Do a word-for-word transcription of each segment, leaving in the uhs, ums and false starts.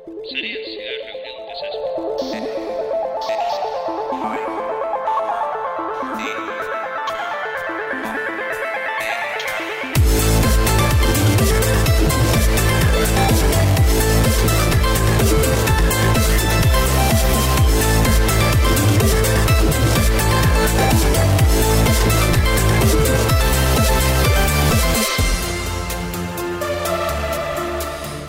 Serían ciudades reunidas esas.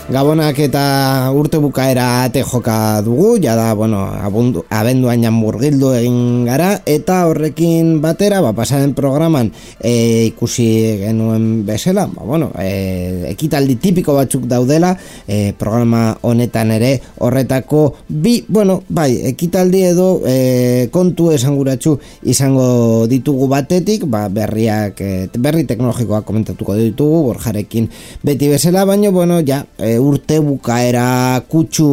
Gabonak eta urte bukaera ate joka dugu, jada, bueno, abundu, abenduan jan murgildu egin gara, eta horrekin batera, ba, pasaren programan e, ikusi genuen bezala, ba, bueno, e, ekitaldi tipiko batzuk daudela, e, programa honetan ere horretako bi, bueno, bai, ekitaldi edo e, kontu esanguratsu izango ditugu batetik, ba, berriak, e, berri teknologikoak komentatuko ditugu, Borjarekin beti bezala, baina, bueno, ja, e, urte bukaera kutsu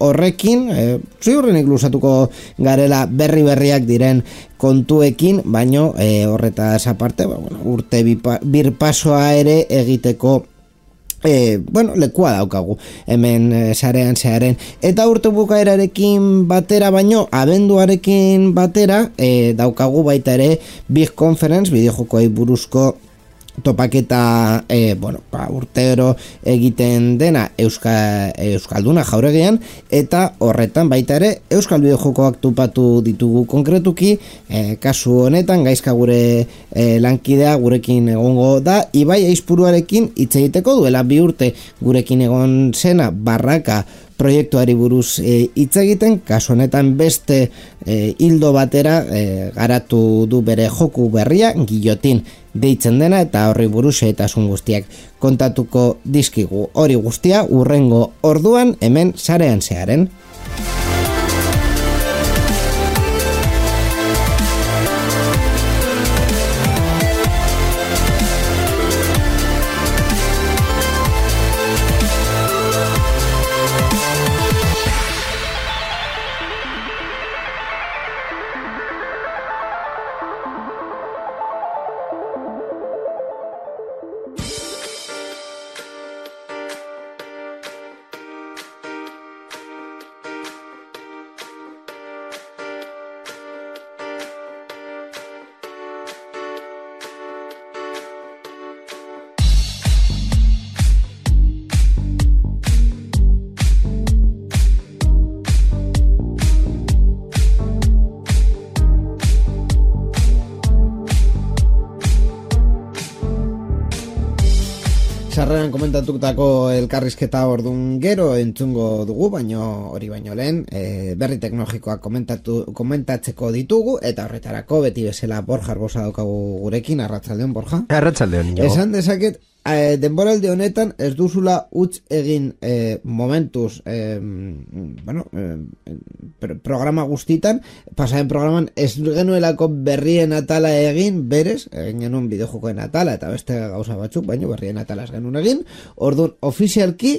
horrekin, e, ziurrenik luzatuko garela berri berriak diren kontuekin, baino e, horretaz aparte, ba, bueno, urte bipa, birpasoa ere egiteko E, bueno, lekua daukagu hemen e, sarean zearen, eta urte bukaerarekin batera baino abenduarekin batera e, daukagu baita ere Big Conference, bideojokoei buruzko topaketa, e, bueno, ba, urtero egiten dena Euska, Euskalduna jauregian, eta horretan baita ere Euskal bideojokoak topatu ditugu konkretuki, e, kasu honetan gaizka gure e, lankidea gurekin egongo da, Ibai Aizpuruarekin hitz egiteko duela bi urte gurekin egon zena Barraka proiektuari buruz hitz e, egiten, kasu honetan beste e, hildo batera e, garatu du bere joku berria, Guillotin deitzen dena, eta horri buruz xehetasun guztiak kontatuko dizkigu. Hori guztia hurrengo orduan hemen sarean zearen. Sarreran komentatutako elkarrizketa ordun gero entzungo dugu, baino hori baino lehen e, berri teknologikoak komentatu, komentatzeko ditugu, eta horretarako beti bezala Borja Arbosa daukagu gurekin. Arratsaldeon, Borja. Arratsaldeon, jo. Esan dezaket, e, denboraldi honetan ez duzula utz egin e, momentuz e, bueno, e, programa guztitan, pasaren programan ez genuelako berrien atala egin, berez, egin genuen bideojokoen atala eta beste gauza batzuk, baina berrien atala ez genuen egin, orduan ofizialki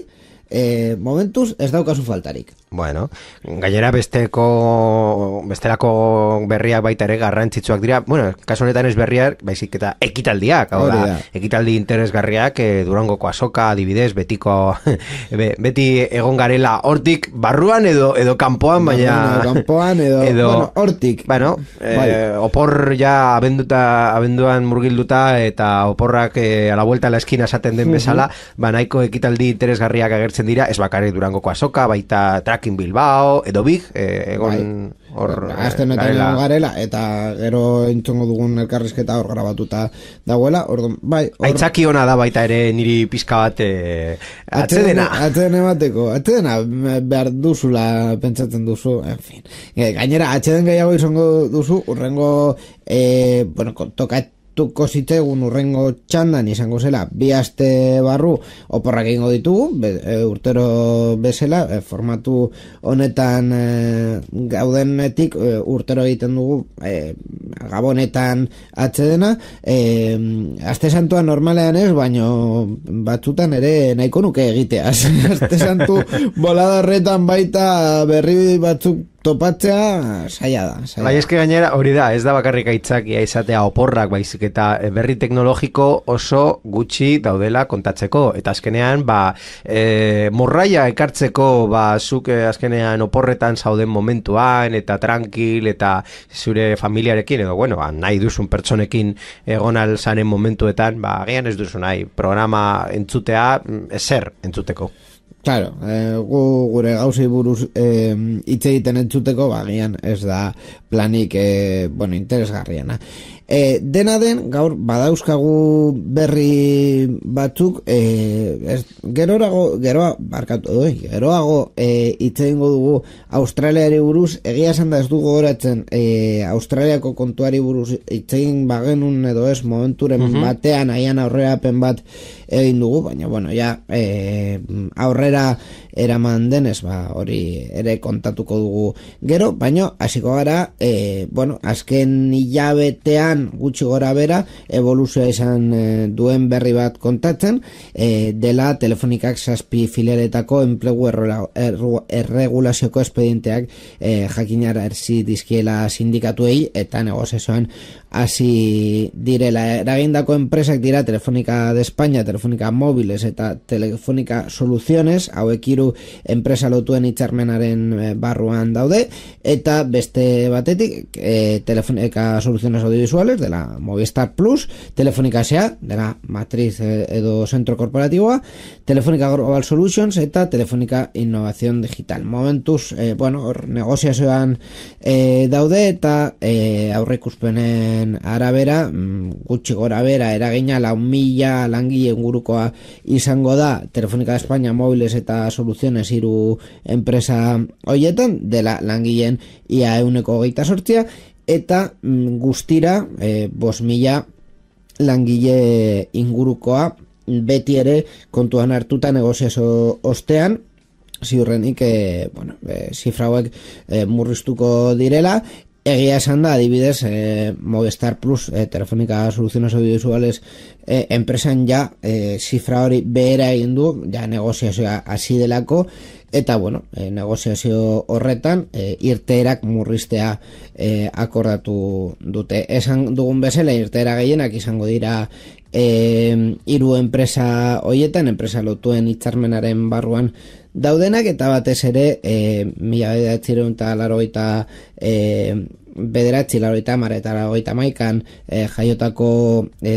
e, momentuz ez daukazu faltarik. Bueno, gainera besteko bestelako berriak baita ere garrantzitsuak dira. Bueno, kasu honetan ez berriak, baizik eta ekitaldiak, hau da, ekitaldi interesgarriak, e, Durangoko azoka, adibidez, betiko be, beti egon garela hortik barruan edo edo kanpoan, baina kanpoan edo, edo bueno, hortik. Bueno, e, opor ja abenduta abenduan murgilduta eta oporrak e, a la vuelta a la esquina esaten den bezala, ba nahiko ekitaldi interesgarriak agertzen dira, ez bakarrik Durangoko azoka, baita Tracking Bilbao, edo Big, eh, egon hor azten garela. garela, eta gero entzongo dugun elkarrizketa hor grabatuta dagoela, orduan, bai. Or... Aitzaki ona da baita ere niri pizka bat eh, atzedena. Atzedena bateko, atzedena behar duzula pentsatzen duzu, en fin. Gainera, atzeden gehiago izango duzu, urrengo, eh, bueno, tokat tuko zitzegun urrengo txandan izango zela bi aste barru oporrak egingo ditugu, be, e, urtero bezala, e, formatu honetan e, gaudenetik e, urtero egiten dugu e, gabonetan atzedena, e, aste santua normalean ez, baino batzutan ere nahiko nuke egiteaz. Aste santu bolada horretan baita berri batzuk topatzea saia da. Saia. Bai, eske gainera hori da, ez da bakarrik aitzakia izatea oporrak, baizik eta berri teknologiko oso gutxi daudela kontatzeko. Eta azkenean, ba, e, morraia ekartzeko, ba, zuk azkenean oporretan zauden momentuan, eta tranquil, eta zure familiarekin, edo, bueno, ba, nahi duzun pertsonekin egon alzanen momentuetan, ba, agian ez duzu nahi, programa entzutea, ezer entzuteko. Claro, eh, gu, gure gauzei buruz eh, hitz egiten entzuteko, bagian ez da planik eh, bueno, interesgarriena. E, dena den, gaur badauzkagu berri batzuk, e, ez, geroago, geroa, barkatu doi, geroago e, hitz egingo dugu Australiari buruz, egia esan da ez dugu goratzen e, Australiako kontuari buruz hitz egin bagenun edo ez momenturen uh-huh. batean aian aurrerapen bat egin dugu, baina bueno, ja e, aurrera eraman denez, ba, hori ere kontatuko dugu gero, baina hasiko gara, e, bueno, azken hilabetean gutxi gora bera evoluzioa izan e, duen berri bat kontatzen, e, dela Telefonikak zazpi filialetako enplegu erregulazioko espedienteak e, jakinara erzi dizkiela sindikatuei eta negoziazioan hasi direla. Eragindako enpresak dira Telefonika de España, Telefonika Móviles eta Telefonika Soluciones, hauek hiru enpresa lotuen hitzarmenaren barruan daude, eta beste batetik e, Telefonika Soluciones Audiovisuales dela Movistar Plus, Telefonika S A dela matriz edo zentro korporatiboa, Telefonika Global Solutions eta Telefonika Innovación Digital. Momentuz, e, bueno, hor negoziazioan e, daude eta e, aurreikuspenen arabera, gutxi gora bera eragina lau mila langile ingurukoa izango da Telefonika de España, Móviles eta Soluciones hiru enpresa hoietan, dela langileen ia ehuneko hogeita zortzia, eta mm, guztira e, bost mila langile ingurukoa beti ere kontuan hartuta negoziazio ostean, ziurrenik e, bueno, e, zifra hauek e, murriztuko direla. Egia esan da, adibidez, eh, Movistar Plus, eh, Telefonika Soluciones Audiovisuales eh, enpresan ja eh, zifra hori behera egin du, ja negoziazioa hasi delako, eta bueno, eh, negoziazio horretan eh, irteerak murriztea eh, akordatu dute. Esan dugun bezala, irteera gehienak izango dira eh, hiru enpresa hoietan, enpresa lotuen hitzarmenaren barruan daudenak, eta batez ere e, mila bederatziehun eta laurogeita e, bederatzi, laurogeita hamar eta laurogeita hamaikan e, jaiotako e,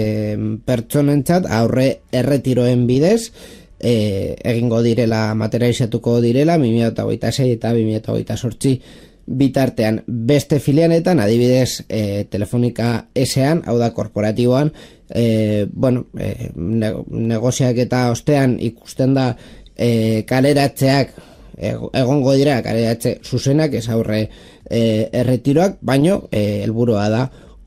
pertsonentzat aurre erretiroen bidez e, egingo direla, materializatuko direla bi mila hogeita sei eta bi mila hogeita zortzi bitartean. Beste filialetan, adibidez e, Telefonika S An, hau da korporatiboan, e, bueno, e, ne, negoziak eta ostean ikusten da E, kaleratzeak egongo dira, kaleratze zuzenak ez aurre e, erretiroak, baino e, helburua da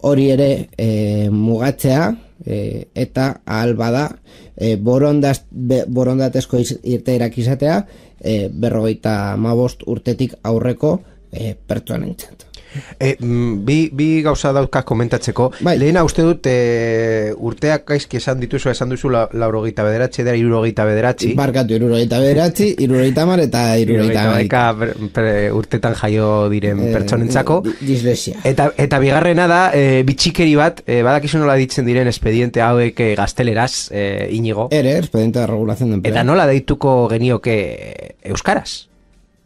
hori ere e, mugatzea e, eta ahal bada e, borondaz, be, borondatezko irteerak izatea e, berrogeita hamabost urtetik aurreko e, pertsonentzat. E, bi, bi gauza dauzkaz komentatzeko. Bai. Lehena uste dut e, urteak gaizki esan dituzu, esan duzu la, laurogeita bederatzi, dira irurogeita bederatzi. Barkatu, irurogeita bederatzi, irurogeita hamar eta irurogeita hamar. Urtetan jaio diren e, pertsonentzako. Dislexia. Eta, eta bigarrena da, e, bitxikeri bat, e, badakizu nola ditzen diren espediente hauek e, gazteleraz, e, Inigo. Ere, expediente de regulación de empleo. Eta nola deituko genioke euskaraz?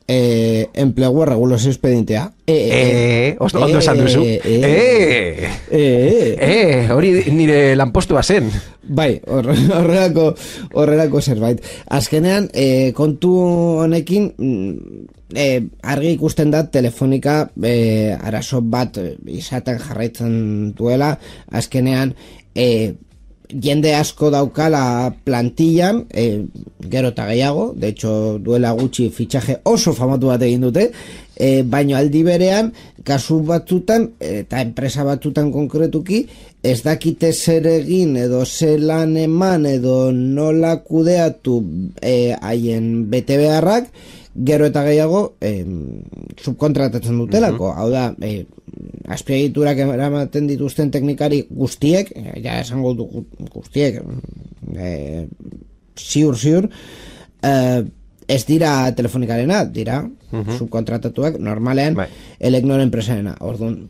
Eh, enplegu regulazio espedientea. Eh, eh, ondo, ondo esan duzu. Eh, eh, eh, eh, hori nire lanpostua zen. Bai, horrelako, horrelako zerbait. Azkenean, eh, kontu honekin, eh, argi ikusten da Telefonika eh, arazo bat izaten jarraitzen duela. Azkenean, eh, jende asko daukala plantillan, e, gero eta gehiago, de hecho duela gutxi fitxaje oso famatu bat egin dute, e, baino aldi berean, kasu batzutan, eta enpresa batzutan konkretuki, ez dakite zer egin edo zelan eman edo nola kudeatu e, haien bete beharrak, gero eta gehiago e, subkontratatzen dutelako, uh-huh. hau da, e, azpiegiturak eramaten dituzten teknikari guztiek, ja esango du guztiek, e, ziur ziur, e, ez dira telefonikarena, dira Mhm. subkontratatuak normalean Bai. Elecnor enpresarena. Orduan,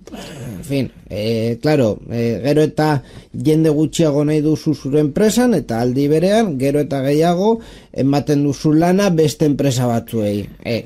en fin, eh, claro, eh, gero eta jende gutxiago nahi duzu zure enpresan, eta aldi berean, gero eta gehiago ematen duzu lana beste enpresa batzuei. Eh,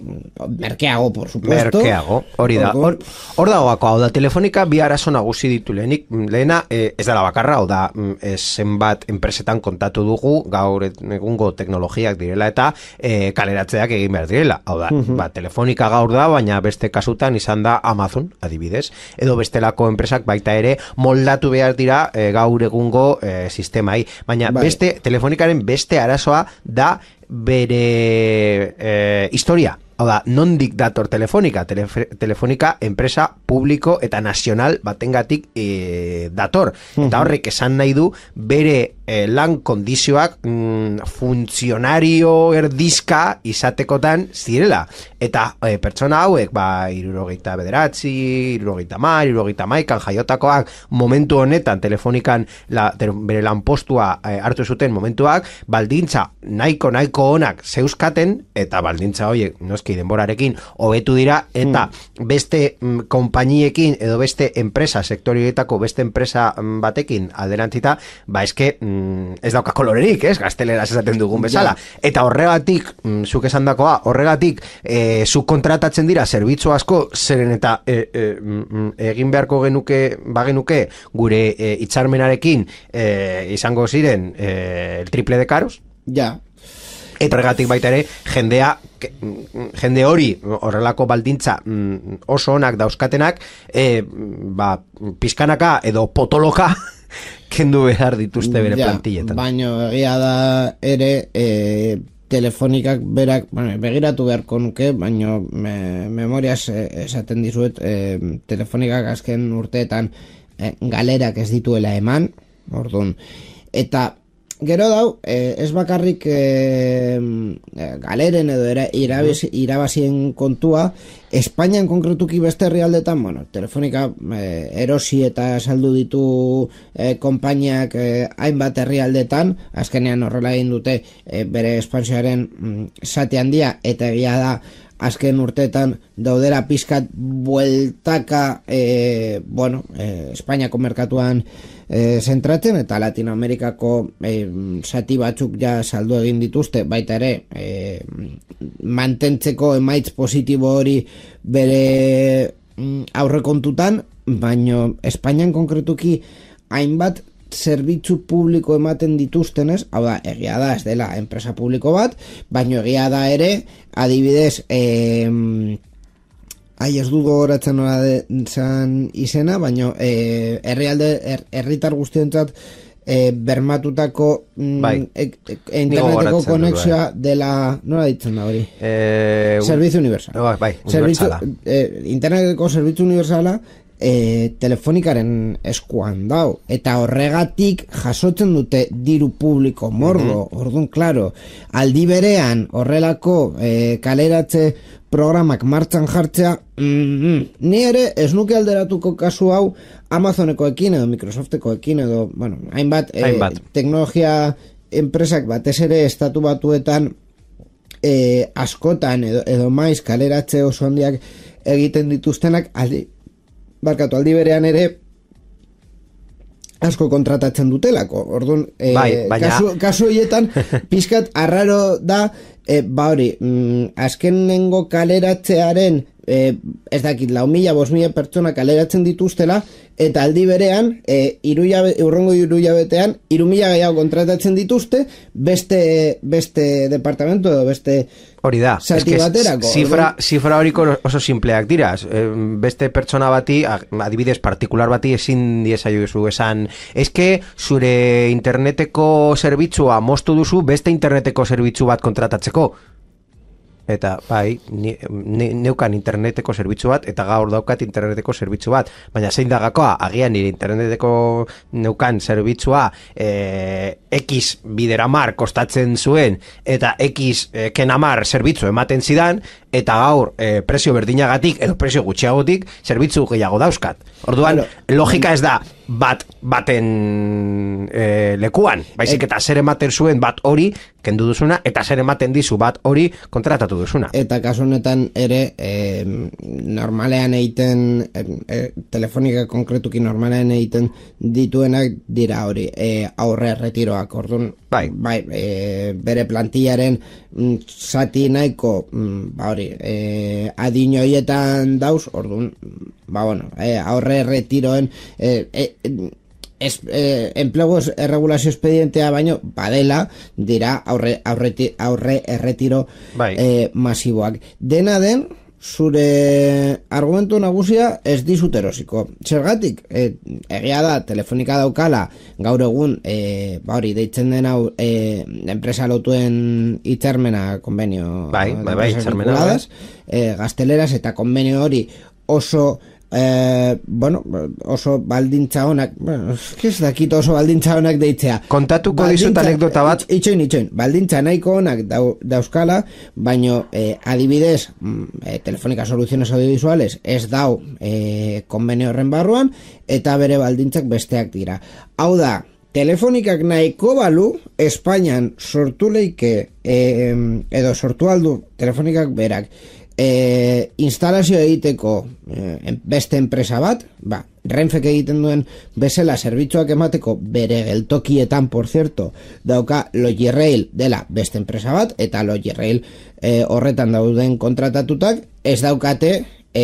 merkeago, por supuesto. Merkeago, hori da. Hor, hor dagoako, hau da, telefonika bi arazo nagusi ditu lehenik. Lehena, eh, ez dela bakarra, hau da, eh, zenbat enpresetan kontatu dugu, gaur egungo teknologiak direla eta eh, kaleratzeak egin behar direla. Hau da, uh-huh. ba, telefonika gaur da, baina beste kasutan izan da Amazon, adibidez, edo bestelako enpresak baita ere moldatu behar dira e, gaur egungo e, sistemai, baina bai. Beste telefonikaren beste arazoa da bere e, historia. Hau da, nondik dator telefonika? Telef telefonika enpresa publiko eta nazional batengatik e, dator. Eta horrek esan nahi du bere e, lan kondizioak mm, funtzionario erdizka izatekotan zirela. Eta e, pertsona hauek, ba, irurogeita bederatzi, irurogeita mar, irurogeita maikan jaiotakoak momentu honetan telefonikan la, te, bere lanpostua e, hartu zuten momentuak, baldintza nahiko nahiko onak zeuzkaten, eta baldintza horiek noski denborarekin hobetu dira, eta mm. beste mm, konpainiekin edo beste enpresa, sektorioetako beste enpresa mm, batekin alderantzita, ba eske mm, ez dauka kolorerik, ez, gazteleraz esaten dugun bezala. Ja. Eta horregatik, mm, zuk esan dakoa, horregatik e, subkontratatzen dira zerbitzu asko, zeren eta e, e, mm, egin beharko genuke, bagenuke gure e, hitzarmenarekin e, izango ziren e, el triple de caros. Ja. Eta horregatik baita ere, jendea, jende hori, horrelako baldintza oso onak dauzkatenak, e, ba, pizkanaka edo potoloka kendu behar dituzte bere ja, plantilletan. Baina egia da ere, e, telefonikak berak, bueno, begiratu beharko nuke, baina me, memoriaz esaten dizuet, e, telefonikak azken urteetan e, galerak ez dituela eman, orduan, eta gero dau, eh, ez bakarrik eh, galeren edo era, irabaz, irabazien kontua, Espainian konkretuki beste herrialdetan, bueno, telefonika eh, erosi eta saldu ditu eh, konpainiak eh, hainbat herrialdetan, azkenean horrela egin dute eh, bere espansioaren mm, zati handia, eta egia da, azken urteetan daudera pizkat bueltaka eh, bueno, eh, Espainiako merkatuan eh, zentratzen, eta Latinoamerikako eh, zati batzuk ja saldu egin dituzte, baita ere eh, mantentzeko emaitz positibo hori bere mm, aurrekontutan, baino Espainian konkretuki hainbat zerbitzu publiko ematen dituztenez, hau da, egia da, ez dela enpresa publiko bat, baino egia da ere, adibidez, eh, ai ez dugu horatzen nola zan izena, baino eh, herrialde, er, herritar guztientzat eh, bermatutako mm, bai. e, e, interneteko konexioa bai. Dela, nola ditzen da hori? Eh, Servizio universal. Bai, bai, universala. Servizio, eh, interneteko servizio universala E, telefonikaren eskuan dau, eta horregatik jasotzen dute diru publiko mordo, mm-hmm. Orduan, klaro, aldi berean horrelako e, kaleratze programak martxan jartzea, mm-hmm. ni ere ez nuke alderatuko kasu hau Amazonekoekin edo Microsoftekoekin edo, bueno, hainbat, e, hainbat. teknologia enpresak batez ere estatu batuetan e, askotan edo, edo maiz kaleratze oso handiak egiten dituztenak aldi barkatu aldi berean ere asko kontratatzen dutelako. Orduan, e, bai, baina... kasu, kasu horietan pizkat arraro da, e, ba hori, mm, azkenengo kaleratzearen e, ez dakit, lau mila, bost mila pertsona kaleratzen dituztela, eta aldi berean, e, iruiabe, urrengo iruiabetean, iru mila gehiago kontratatzen dituzte, beste, beste departamento edo beste hori da, zati baterako. Zifra, zifra horiko oso simpleak dira. Beste pertsona bati, adibidez partikular bati ezin diezaiozu esan, eske zure interneteko zerbitzua moztu duzu beste interneteko zerbitzu bat kontratatzeko. Eta bai, ne, ne, neukan interneteko zerbitzu bat, eta gaur daukat interneteko zerbitzu bat, baina zein da gakoa, agian nire interneteko neukan zerbitzua e, X bideramar kostatzen zuen, eta X e, kenamar zerbitzu ematen zidan, eta gaur e, prezio berdinagatik edo prezio gutxiagotik zerbitzu gehiago dauzkat. Orduan, claro, logika ez da bat baten e, lekuan, baizik eta zer ematen zuen bat hori kendu duzuna, eta zer ematen dizu bat hori kontratatu duzuna. Eta kasu honetan ere e, normalean egiten e, e, telefonika konkretuki normalean egiten dituenak dira hori e, aurre retiroak. Orduan, bai, bai e, bere plantillaren mm, zati nahiko mm, ba hori e, adin horietan dauz, orduan ba bueno, e, aurre retiroen e, e, es, eh, enplegu erregulazio expedientea baino badela dira aurre, aurre, aurre erretiro bai. eh, masiboak. Dena den, zure argumentu nagusia ez dizut erosiko. Zergatik, eh, egia da, telefonika daukala gaur egun, eh, ba hori, deitzen den hau eh, enpresa lotuen hitzarmena konbenio bai, bai, bai, hitzarmena eh, gazteleraz eta konbenio hori oso Eh, bueno, oso baldintza honak, bueno, ez dakit oso baldintza honak deitzea. Kontatuko dizut anekdota bat. Itxoin, itxoin, baldintza nahiko honak dau, dauzkala, baino eh, adibidez, eh, Telefonika Soluciones Audiovisuales ez dau eh, konbenio horren barruan, eta bere baldintzak besteak dira. Hau da, Telefonikak nahiko balu, Espainian sortu leike, eh, edo sortu aldu Telefonikak berak, E, instalazio egiteko e, beste enpresa bat, ba, Renfek egiten duen bezala zerbitzuak emateko bere geltokietan, por cierto, dauka Logirail dela beste enpresa bat, eta Logirail e, horretan dauden kontratatutak ez daukate e,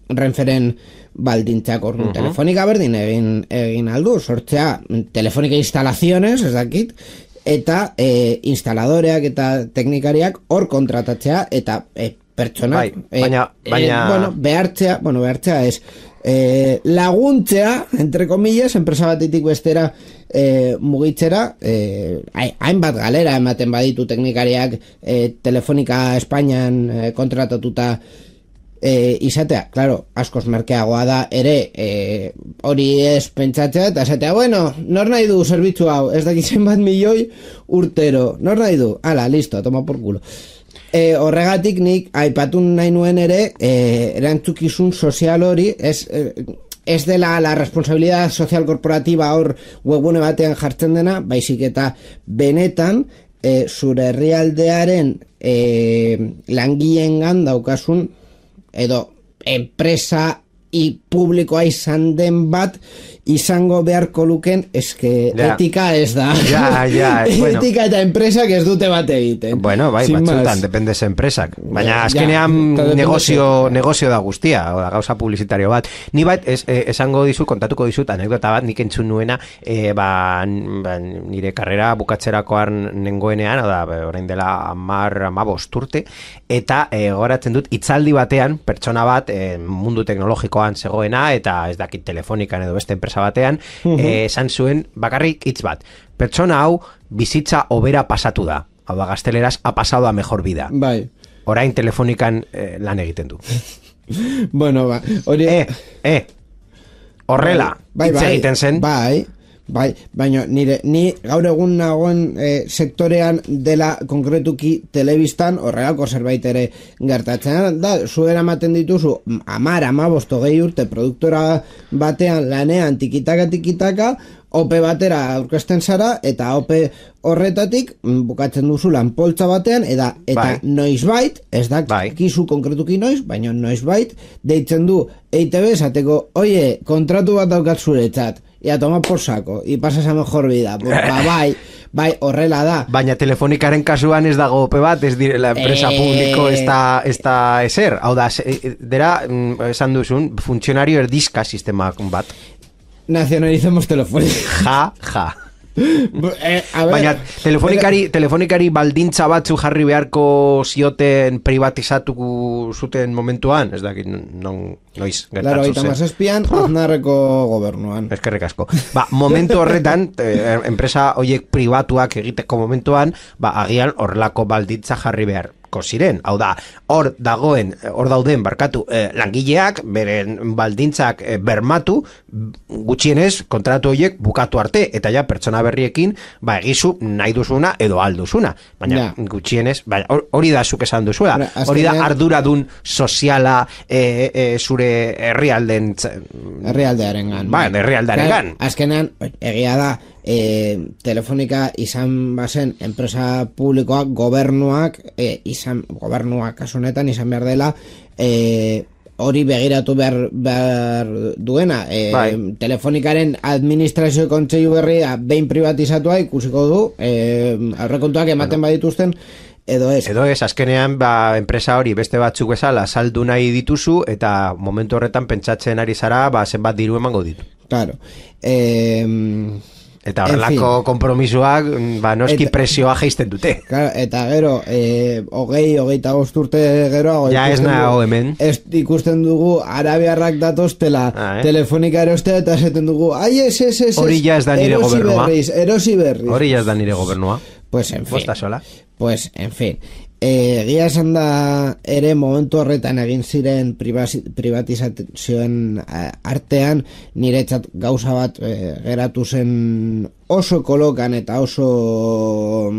Renferen baldintzak. Orduan, uh-huh. Telefonika berdin egin, egin aldu, sortzea Telefonika Instalaciones, ez dakit, eta e, instaladoreak eta teknikariak hor kontratatzea, eta e, pertsonak, bai, baina, eh, baina... Eh, bueno, behartzea, bueno, behartzea es eh, laguntzea, entre comillas, enpresa batetik bestera eh, mugitzera, eh, hainbat galera ematen baditu teknikariak eh, Telefonika Espainian eh, kontratatuta eh, izatea, claro, askoz merkeagoa da ere eh, hori ez pentsatzea, eta esatea, bueno, nor nahi du zerbitzu hau, ez dakitzen bat milioi urtero, nor nahi du, ala, listo, toma por culo. E, horregatik nik aipatu nahi nuen ere e, erantzukizun sozial hori ez, ez dela la responsabilidad social corporativa hor webune batean jartzen dena, baizik eta benetan e, zure herrialdearen e, langileengan daukasun edo enpresa i publikoa izan den bat izango beharko luken, eske ja. Etika ez da. Ja, ja, bueno. Etika eta enpresak ez dute bat egiten. Bueno, bai, batzutan, depende ze enpresak. Baina azkenean ja, negozio, negozio da guztia, o da, gauza publizitario bat. Ni bat, es, eh, esango dizut, kontatuko dizut, anekdota bat, nik entzun nuena, eh, ba, ba, nire karrera bukatzerakoan nengoenean, o da, orain dela amar, amabost urte, eta eh, goratzen dut, hitzaldi batean, pertsona bat, eh, mundu teknologikoan zegoena, eta ez dakit telefonikan edo beste enpresa batean, uh-huh. eh, esan zuen bakarrik hitz bat. Pertsona hau bizitza hobera pasatu da. Hau da, gazteleraz, ha pasado a mejor vida. Bai. Orain telefonikan eh, lan egiten du. Bueno, ba, hori... Eh, eh, horrela, bai, hitz bai, egiten zen. Bai, bai, baina nire, ni gaur egun nagoen eh, sektorean dela konkretuki telebistan horrelako zerbait ere gertatzen da, zuera ematen dituzu amar, amabost, hogei urte produktora batean lanean tikitaka tikitaka, ope batera aurkezten zara, eta ope horretatik bukatzen duzu lanpoltza batean, eta, eta bai. Noizbait, ez da bai. Kizu konkretuki noiz, baina noizbait deitzen du E I Te Be esateko, oie, kontratu bat daukat zuretzat, ia toma por saco, y pasas a mejor vida. Ba, bai, bai, horrela da. Baina telefonikaren kasuan ez dago ope bat, ez direla enpresa eh... publiko ez da, ez da eser. Hau da, dera, esan duzun, funtzionario erdizka sistema bat. Nacionalicemos Telefónica. Ja, ja. eh, a ver, baina telefonikari, telefonikari baldintza batzu jarri beharko zioten privatizatu zuten momentuan, ez dakit non... Noiz, Laro gertatu zen. mazazpian, Aznarreko gobernuan. Eskerrik asko. Ba, momentu horretan, eh, enpresa hoiek pribatuak egiteko momentuan, ba, agian horrelako balditza jarri behar ziren. Hau da, hor dagoen, hor dauden barkatu eh, langileak, beren baldintzak eh, bermatu, gutxienez kontratu horiek bukatu arte, eta ja pertsona berriekin, ba, egizu nahi duzuna edo alduzuna. Baina ja. gutxienez, ba, hori da zuk esan duzuela. Hora, hori da arduradun soziala eh, eh, zure herrialden herrialdearengan. Ba, herrialdearengan. Azkenean, egia da, E, Telefonika izan bazen enpresa publikoak, gobernuak e, izan, gobernuak kasu honetan izan behar dela e, hori begiratu behar, behar duena e, bai. Telefonikaren administrazio kontseilu berria behin privatizatua ikusiko du e, aurrekontuak ematen bueno. badituzten edo ez. Edo ez, azkenean ba, enpresa hori beste batzuk bezala saldu nahi dituzu eta momentu horretan pentsatzen ari zara ba, zenbat diru emango ditu. Claro. Eh, Eta horrelako konpromisoak, ba, noski eta, presioa jaisten dute. Claro, eta gero, eh, hogei, hogeita bost urte gero, ja ez nago hemen. Ez ikusten dugu arabiarrak datoztela ah, eh? Telefonika erostea eta esaten dugu, ai, ez, ez, ez, hori ja ez da nire erosi gobernua. Berriz, erosi berriz. Hori ja ez da nire gobernua. Pues en fin. Bosta sola. Pues en fin. E, Gia esan da ere momentu horretan egin ziren privatizazioen artean niretzat gauza bat e, geratu zen oso kolokan eta oso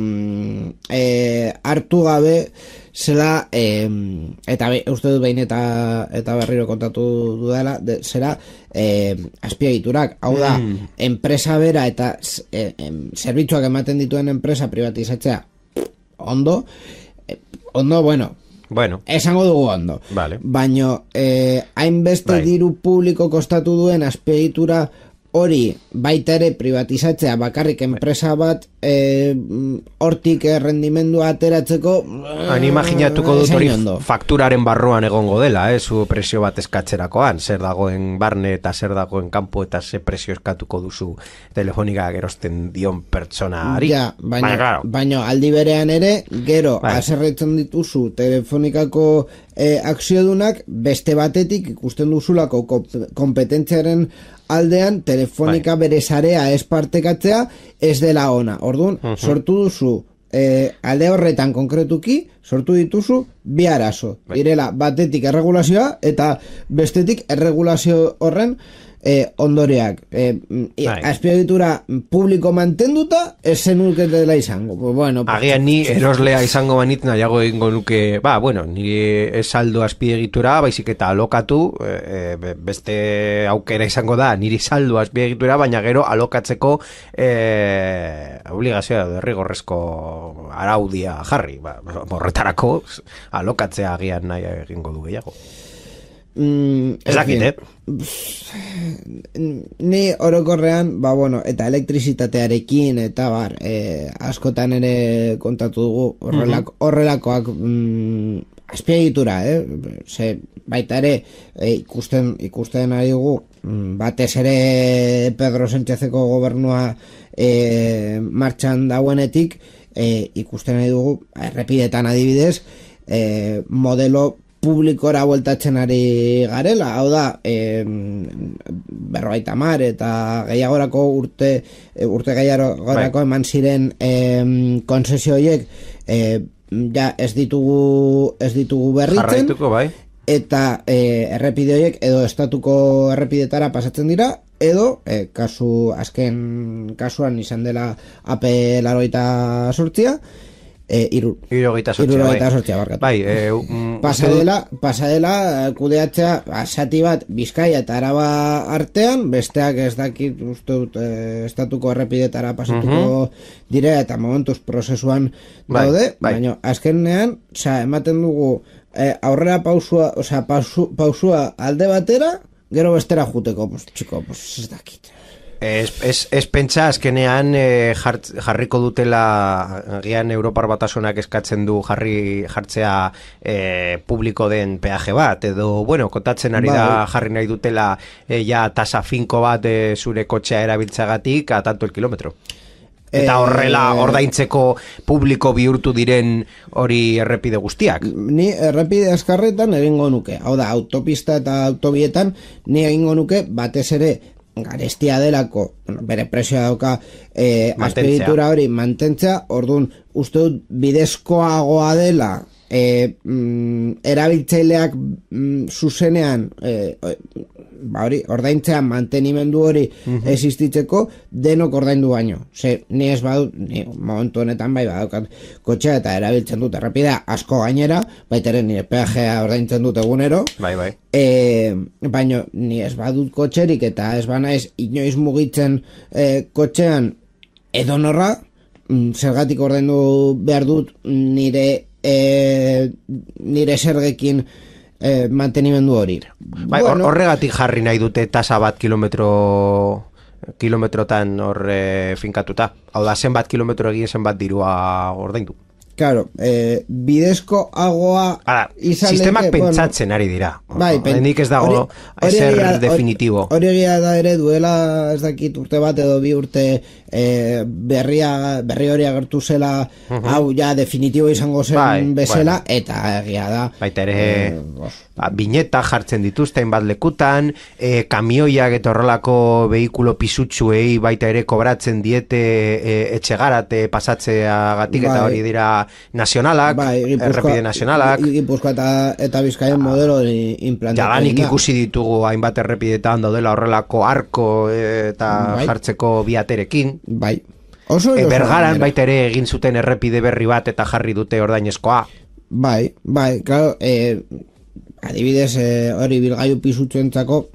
e, hartu gabe zela e, eta be, uste dut behin eta, eta berriro kontatu dudala de, zera e, azpiegiturak, hau da mm. enpresa bera eta e, e, zerbitzuak ematen dituen enpresa privatizatzea ondo ondo, bueno, bueno, esango dugu ondo. Vale. Baino, eh, hainbeste bai. Diru publiko kostatu duen azpiegitura hori baita ere privatizatzea bakarrik enpresa bat eh, hortik errendimendua ateratzeko han imaginatuko dut hori fakturaren barruan egongo dela, eh, zu presio bat eskatzerakoan, zer dagoen barne eta zer dagoen kanpo eta ze presio eskatuko duzu Telefonika gerosten dion pertsonari. Ja, baina, baina, claro. baina aldi berean ere, gero bai. Haserretzen dituzu Telefonikako eh, akziodunak beste batetik ikusten duzulako kompetentziaren aldean Telefonika bai. Bere sarea ez partekatzea ez dela ona. Orduan, uh-huh. sortu duzu eh, alde horretan konkretuki, sortu dituzu bi arazo. Bai. Direla batetik erregulazioa eta bestetik erregulazio horren eh, ondoreak. Eh, azpiegitura publiko mantenduta ez zenuketela izango. Pues bueno, pues, agian ni eroslea izango banit nahiago egingo nuke, ba, bueno, nire ez saldo azpiegitura, baizik eta alokatu, eh, beste aukera izango da, niri saldo azpiegitura, baina gero alokatzeko eh, obligazioa derrigorrezko araudia jarri. Ba, horretarako alokatzea agian nahi egingo du gehiago. Mm, ez dakit, eh? Ni orokorrean, ba bueno, eta elektrizitatearekin eta bar, eh, askotan ere kontatu dugu horrelako, horrelakoak mm, azpiegitura, eh? Ze, baita ere eh, ikusten ikusten ari dugu mm, batez ere Pedro Sánchezeko gobernua eh, martxan dauenetik eh, ikusten ari dugu errepidetan adibidez eh, modelo publikora bueltatzen ari garela, hau da e, berrogeita hamar eta gehiagorako urte urte gehiagorako bai. Eman ziren e, konzesio horiek e, ja ez ditugu ez ditugu berritzen bai. Eta e, errepide horiek edo estatuko errepidetara pasatzen dira edo e, kasu azken kasuan izan dela A P laurogeita zortzi Eh, iru, irurogeita sortzia barkatu. Bai, eh, um, pasadela, pasadela kudeatzea asati bat Bizkaia eta Araba artean, besteak ez dakit uste dut eh, estatuko errepidetara pasatuko uh-huh. dire eta momentuz prozesuan bai, daude, bai. baina azkenean, osea, ematen dugu eh, aurrera pausua, osea, pausu, pausua alde batera, gero bestera juteko, pues chico, pues ez dakit. Ez, ez, ez pentsa azkenean eh, jart, jarriko dutela agian Europar Batasunak eskatzen du jarri jartzea eh, publiko den peaje bat edo, bueno, kontatzen ari da jarri nahi dutela eh, ja tasa finko bat eh, zure kotxea erabiltzagatik a tanto el kilometro. Eta horrela ordaintzeko publiko bihurtu diren hori errepide guztiak. Ni errepide azkarretan egingo nuke. Hau da, autopista eta autobietan ni egingo nuke batez ere garestia delako, bueno, bere presioa dauka eh, azpeditura hori mantentzea, orduan uste dut bidezkoagoa dela e, mm, erabiltzaileak mm, zuzenean e, ba hori, ordaintzean mantenimendu hori uh-huh. existitzeko denok ordaindu baino. Ze, ni ez badut, ni momentu honetan bai badaukat kotxea eta erabiltzen dut errepidea asko gainera, baita ere nire peajea ordaintzen dut egunero. Bai, bai. E, baino, ni ez badut kotxerik eta ez banaiz inoiz mugitzen e, kotxean edonorra, zergatik ordaindu behar dut nire e, nire zergekin Eh, mantenimendu hori. Bai, bueno, horregatik jarri nahi dute tasa bat kilometro kilometrotan hor eh, finkatuta. Hau da, zenbat kilometro egin zenbat dirua ordaindu. Claro, eh, bidezko agoa sistemak leke, pentsatzen bueno, ari dira. Bai, pen, nik ez dago ezer definitibo. Hori egia da ere duela ez dakit urte bat edo bi urte eh, berria, berri hori agertu zela uh-huh. hau ja definitibo izango zen bai, bezala bai. Eta egia da. Baita ere eh, ba, bineta jartzen dituzten bat lekutan, eh, kamioiak eta horrelako behikulo pisutsuei baita ere kobratzen diete eh, etxegarate pasatzeagatik bai. Eta hori dira nazionalak, bai, errepide nazionalak. Gipuzkoa eta, eta Bizkaien ah, modelo implantatu. Jadanik ikusi ditugu hainbat errepidetan daudela horrelako arko eta bai. Jartzeko biaterekin. Bai. Oso e, Bergaran baita ere egin zuten errepide berri bat eta jarri dute ordainezkoa. Bai, bai, claro, eh, adibidez hori eh, bilgailu pisutsuentzako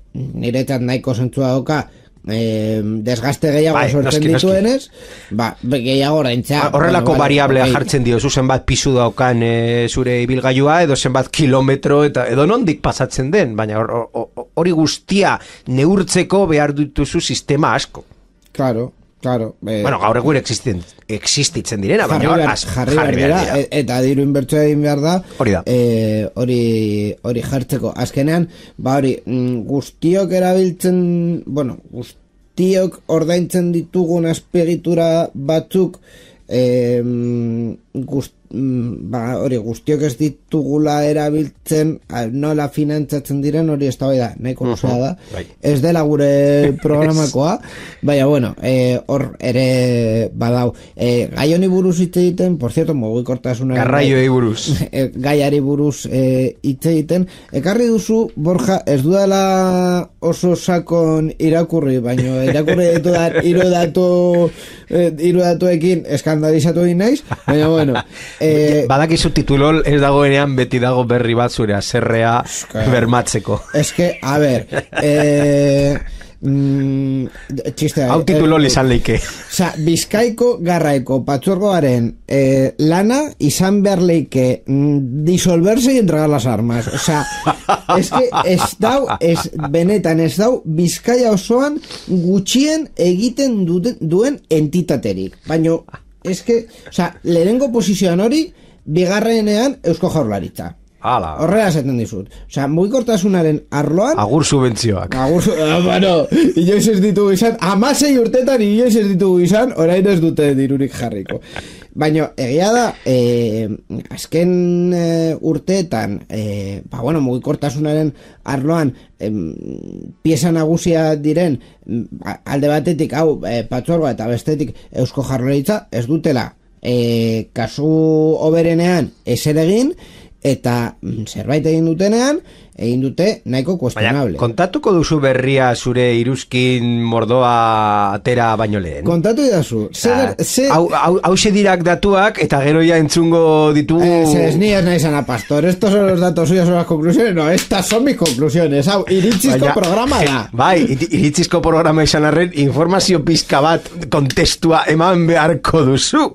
niretzat nahiko zentzua doka. Eh, desgaste gehiago bai, sortzen noski, dituenez noski. Ba, gehiago oraintzea horrelako bueno, variablea bai. Jartzen dio zu zenbat pisu daukan e, zure ibilgailua edo zenbat kilometro eta edo nondik pasatzen den, baina hori guztia neurtzeko behar dituzu sistema asko. Claro, claro. Eh, bueno, gaur egun existitzen, existitzen direna, baina jarri, az, jarri, jarri behar dira, dira. Eta diru inbertsioa egin behar da hori da eh, hori, hori jartzeko azkenean, ba hori guztiok erabiltzen bueno, guztiok ordaintzen ditugun azpiegitura batzuk eh, guztiok ba, hori guztiok ez ditugula erabiltzen nola finantzatzen diren hori ez da bai da, nahiko luzea da bai. Ez dela gure programakoa baina bueno, hor e, ere badau, e, gai honi buruz hitz egiten, por cierto, mugikortasunaren garraioei buruz e, gaiari buruz e, hitz egiten, ekarri duzu Borja, ez dudala oso sakon irakurri, baina irakurri ditu da hiru datu e, hiru datuekin eskandalizatu egin naiz, baina bueno Eh, badakizu titulol ez dagoenean beti dago berri bat zure azerrea bermatzeko. Ez que, a ber, eh, mm, txiste, hau titulol izan leike. Osa, Bizkaiko garraiko patzuergoaren eh, lana izan behar leike mm, disolverse y entregar las armas. O sea, es que ez dau, ez, benetan ez dau Bizkaia osoan gutxien egiten duten, duen entitaterik. Baina es que, o sea, lehenengo posizioan hori bigarrenean Eusko Jaurlaritza. Hala. Horrela esaten dizut. O sea, mugikortasunaren arloan agur subentzioak. Agur su... Ah, bueno, inoiz ez ditugu izan, amasei urtetan inoiz ez ditugu izan, orain ez dute dirurik jarriko. Baina, egia da, eh, azken eh, urteetan, eh, ba, bueno, mugikortasunaren arloan, eh, pieza nagusia diren, alde batetik, hau, eh, patzuergoa eta bestetik Eusko Jaurlaritza, ez dutela, eh, kasu oberenean ezer egin, eta zerbait egin dutenean, egin dute nahiko kuestionable. Baina, kontatuko duzu berria zure iruzkin mordoa atera baino lehen? Kontatu idazu. Hau dirak datuak eta gero ya entzungo ditugu... Eh, ez ni ez nahi zana, pastor. Estos son los datos suyos, son las conclusiones. No, estas son mis conclusiones. Hau, iritzizko Baina, programa da. Bai, iritzizko programa izan arren, informazio pizka bat kontestua eman beharko duzu.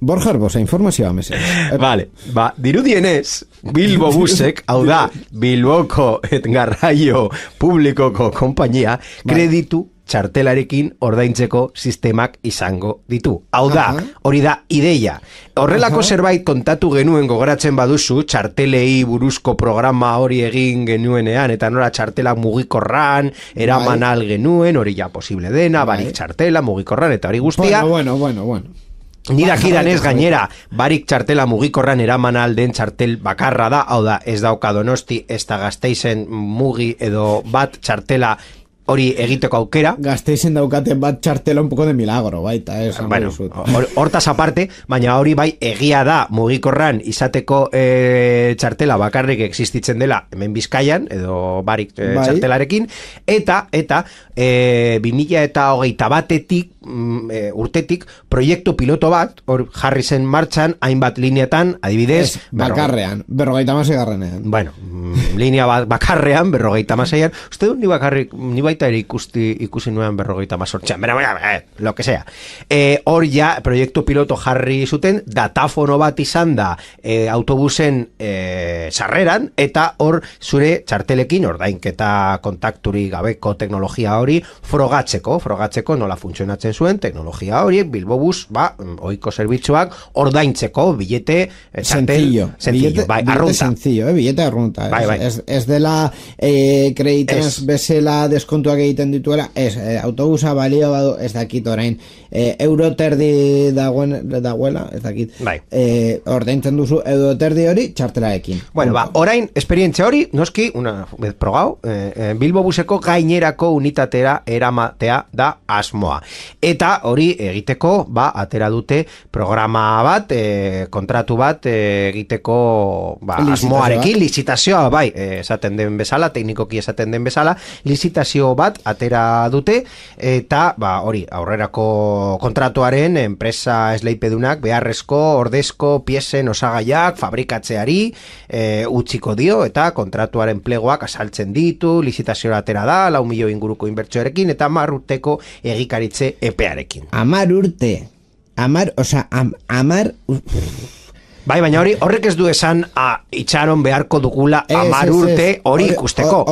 Borja Arbosa, informazioa mesen. Vale, ba, dirudienez, Bilbo Busek, hau da, Bilboko et garraio publikoko konpainia, kreditu txartelarekin ordaintzeko sistemak izango ditu. Hau da, hori da ideia. Horrelako zerbait kontatu genuen gogoratzen baduzu, txartelei buruzko programa hori egin genuenean, eta nora txartela mugikorran, eraman al genuen, hori ja posible dena, barik txartela, mugikorran, eta hori guztia. Bueno, bueno, bueno, bueno. Ni dakidan ez gainera, barik txartela mugikorran eraman alden txartel bakarra da, hau da, ez dauka Donosti, ez da Gasteizen mugi edo bat txartela hori egiteko aukera. Gasteizen daukaten bat txartela un poco de milagro, baita, ez. Bueno, hortaz aparte, baina hori bai egia da mugikorran izateko e, txartela bakarrik existitzen dela hemen Bizkaian, edo barik e, bai. Txartelarekin, eta, eta, e, bi mila eta hogeita batetik, e, urtetik, proiektu piloto bat, hor jarri zen martxan, hainbat lineatan, adibidez... Ez, bakarrean, berrogeita maseigarrenean. Bueno, linea bat bakarrean, berrogeita maseian, uste du ni bakarrik, ni baita ere ikusti, ikusi nuen berrogeita mazortxean, bera, bera, bera, lo que sea. E, hor ja, proiektu piloto jarri zuten, datafono bat izan da e, autobusen e, sarreran, eta hor zure txartelekin, ordainketa kontakturi gabeko teknologia hori, frogatzeko, frogatzeko nola funtzionatzen zuen, teknologia horiek, Bilbobus, ba, ohiko zerbitzuak, ordaintzeko, billete, e, txartel, sencillo, sencillo, bai, billete arrunta. Sencillo, eh, billete arrunta. Bai, bai. Ez, ez dela eh, kreditaz bezala deskontuak egiten dituela, ez, eh, autobusa balio badu, ez dakit orain, eh, euro terdi dagoen, dagoela, ez dakit, bai. eh, ordaintzen duzu euro terdi hori txartelarekin. Bueno, ba, orain, esperientzia hori, noski, una vez progau, eh, Bilbobuseko gainerako unitatera eramatea da asmoa. Eta hori egiteko, ba, atera dute programa bat, eh, kontratu bat eh, egiteko ba, asmoarekin, lizitazioa, bai, eh, esaten den bezala, teknikoki esaten den bezala, lizitazio bat atera dute, eta ba, hori, aurrerako kontratuaren enpresa esleipedunak beharrezko ordezko piesen osagaiak fabrikatzeari e, utziko dio, eta kontratuaren plegoak asaltzen ditu, lizitazioa atera da, lau milio inguruko inbertsioarekin, eta hamar urteko egikaritze epearekin. Hamar urte, hamar, oza, am, hamar... Bai, baina hori horrek ez du esan a, itxaron beharko dugula hamar urte hori ikusteko.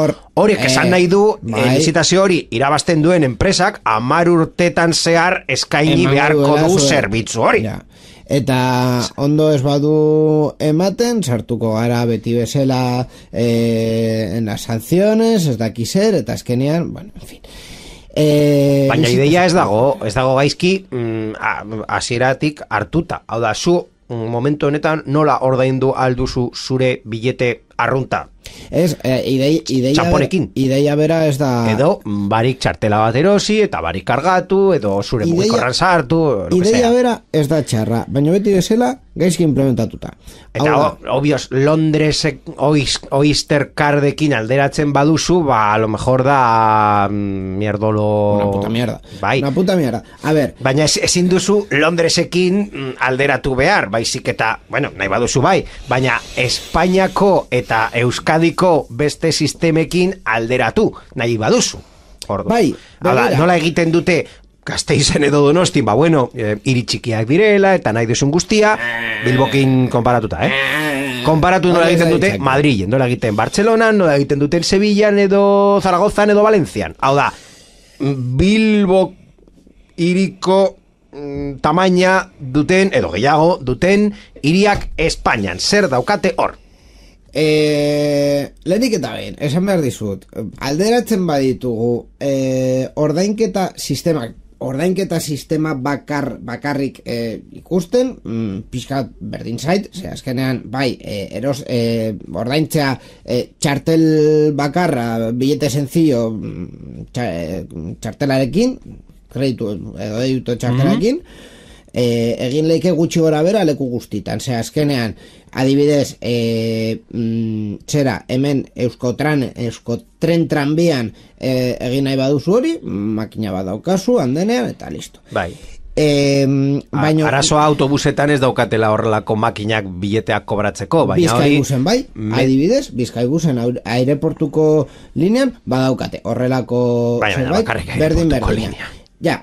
Horiek esan nahi du bai. e, lizitazio hori irabazten duen enpresak hamar urtetan zehar eskaini Eman beharko du zerbitzu hori. Ja. Eta ondo ez badu ematen, sartuko gara beti bezala eh, en las sanciones, ez daki zer, eta azkenean, bueno, en fin. Eh, baina ideia ez dago, ez dago gaizki hasieratik hartuta. Hau da, zu momentu honetan nola ordaindu alduzu zure billete arrunta? Ez, eh, idei, ideia, txamponekin. Ideia bera ez da... Edo barik txartela bat erosi, eta barik kargatu, edo zure ideia, mugikorran sartu, ideia bera ez da txarra, baina beti bezala gaizki implementatuta. Eta o, obvios, Londres Oyster Cardekin alderatzen baduzu, ba, a lo mejor da mm, mierdolo... Una puta mierda. Bai. Una puta mierda. A ver... Baina ezin duzu Londresekin mm, alderatu behar, baizik eta, bueno, nahi baduzu bai, baina Espainiako eta Euskadiko beste sistemekin alderatu, nahi baduzu. Ordo. Bai, Hala, nola egiten dute Gasteizen edo Donosti, ba bueno, e, hiri txikiak direla, eta nahi duzun guztia, Bilbokin konparatuta, eh? Konparatu nola egiten dute Madrilen, nola egiten Bartzelonan, nola egiten duten Sevillan edo Zaragozan edo Valentzian. Hau da, Bilbo hiriko tamaina duten, edo gehiago duten, hiriak Espainian, zer daukate hor? Eh, lehenik eta behin, esan behar dizut, alderatzen baditugu eh, ordainketa sistemak, ordainketa sistema bakar, bakarrik eh, ikusten, mm, pixkat berdin zait, ze azkenean, bai, eh, eros, eh, ordaintzea eh, txartel bakarra, billete sencillo, txartelarekin, kreditu edo deitu txartelarekin, mm-hmm. eh, egin leike gutxi gora bera leku guztitan, ze azkenean, adibidez, e, mm, zera, hemen Euskotran, Euskotren tranbian e, egin nahi baduzu hori, makina bat daukazu, handenean, eta listo. Bai. E, baino, Arazoa autobusetan ez daukatela horrelako makinak bileteak kobratzeko, baina hori... Bizkaibusen bai, me... adibidez, Bizkaibusen aireportuko linean, badaukate, horrelako... Baina, bakarrik aireportuko linea. Ja,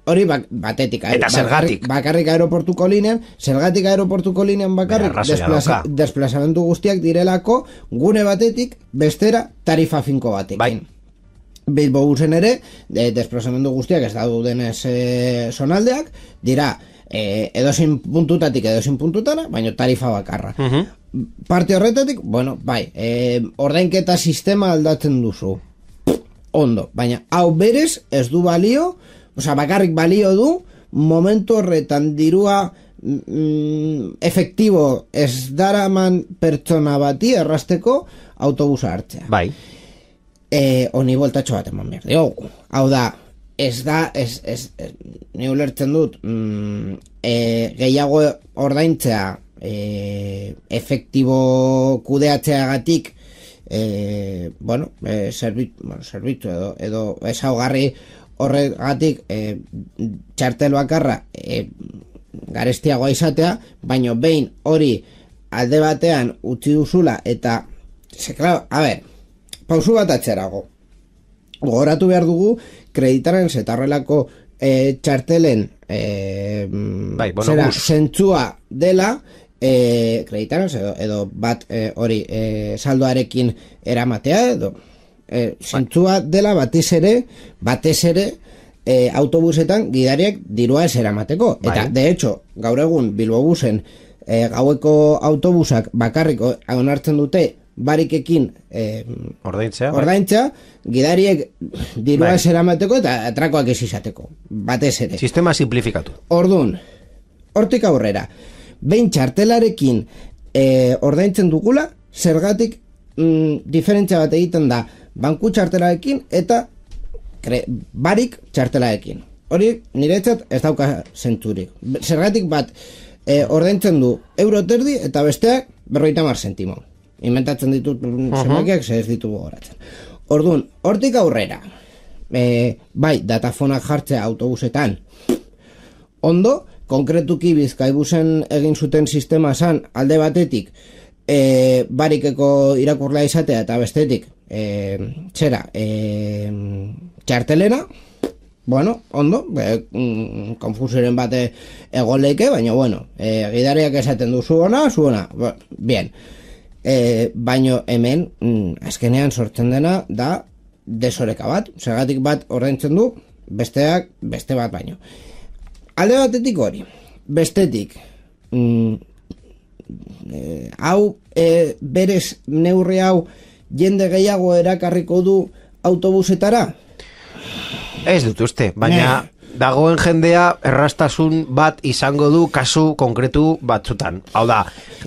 hori bak, batetik, eta zergatik bakarrik aeroportuko linean, zergatik aeroportuko linean bakarrik desplaza, desplazamentu guztiak direlako gune batetik bestera tarifa finko batekin. Bai. Bilbo busen ere, de, desplazamendu guztiak ez daudenez e, zonaldeak, dira, e, edozein puntutatik edozein puntutara, baina tarifa bakarra. Uh-huh. Parte horretatik, bueno, bai, e, ordainketa sistema aldatzen duzu. Ondo, baina hau berez ez du balio, osea, bakarrik balio du, momentu horretan dirua mm, efektibo ez daraman pertsona bati errasteko autobusa hartzea. Bai. E, oni voltatxo bat eman behar diogu. Hau da, ez da, ez, ez, ez ni ulertzen dut, mm, e, gehiago ordaintzea e, efektibo kudeatzeagatik, E, bueno, e, zerbit, bueno, zerbitzu edo, edo ezaugarri horregatik e, txartel bakarra e, garestiagoa izatea, baino behin hori alde batean utzi duzula eta ze, claro, a ber, pausu bat atzerago gogoratu behar dugu kreditaren zetarrelako e, txartelen e, bai, bueno, zera, bus. zentzua dela E, kreditaraz edo, edo bat e, hori e, saldoarekin eramatea edo e, zentzua dela batez ere batez ere e, autobusetan gidariak dirua ez eramateko. Eta de hecho gaur egun Bilbobusen e, gaueko autobusak bakarrik onartzen dute barikekin e, ordaintzea, ordaintzea gidariek dirua ez eramateko eta atrakoak ez izateko batez ere. Sistema simplifikatu. Ordun, hortik aurrera behin txartelarekin e, ordaintzen dugula, zergatik mm, diferentzia bat egiten da banku txartelarekin eta kre, barik txartelarekin. Hori niretzat ez dauka zentzurik. Zergatik bat e, ordaintzen du euro terdi eta besteak berrogeita hamar zentimo. Inventatzen ditut uh-huh. zenbakiak ze ez ditugu goratzen. Orduan, hortik aurrera, e, bai, datafonak jartzea autobusetan, ondo, konkretuki Bizkaibusen egin zuten sistema zan alde batetik e, barikeko irakurlea izatea eta bestetik e, txera e, txartelena, bueno, ondo, e, mm, konfusiren bate egoleike, baina bueno, e, gidariak esaten du zuona, zuona, bien, e, baino hemen mm, azkenean sortzen dena da desoreka bat, zergatik bat ordaintzen du, besteak beste bat baino. Alde batetik hori, bestetik, mm, e, hau e, berez neurri hau jende gehiago erakarriko du autobusetara? Ez dut uste, baina ne. Dagoen jendea errastasun bat izango du kasu konkretu batzutan. Hau da,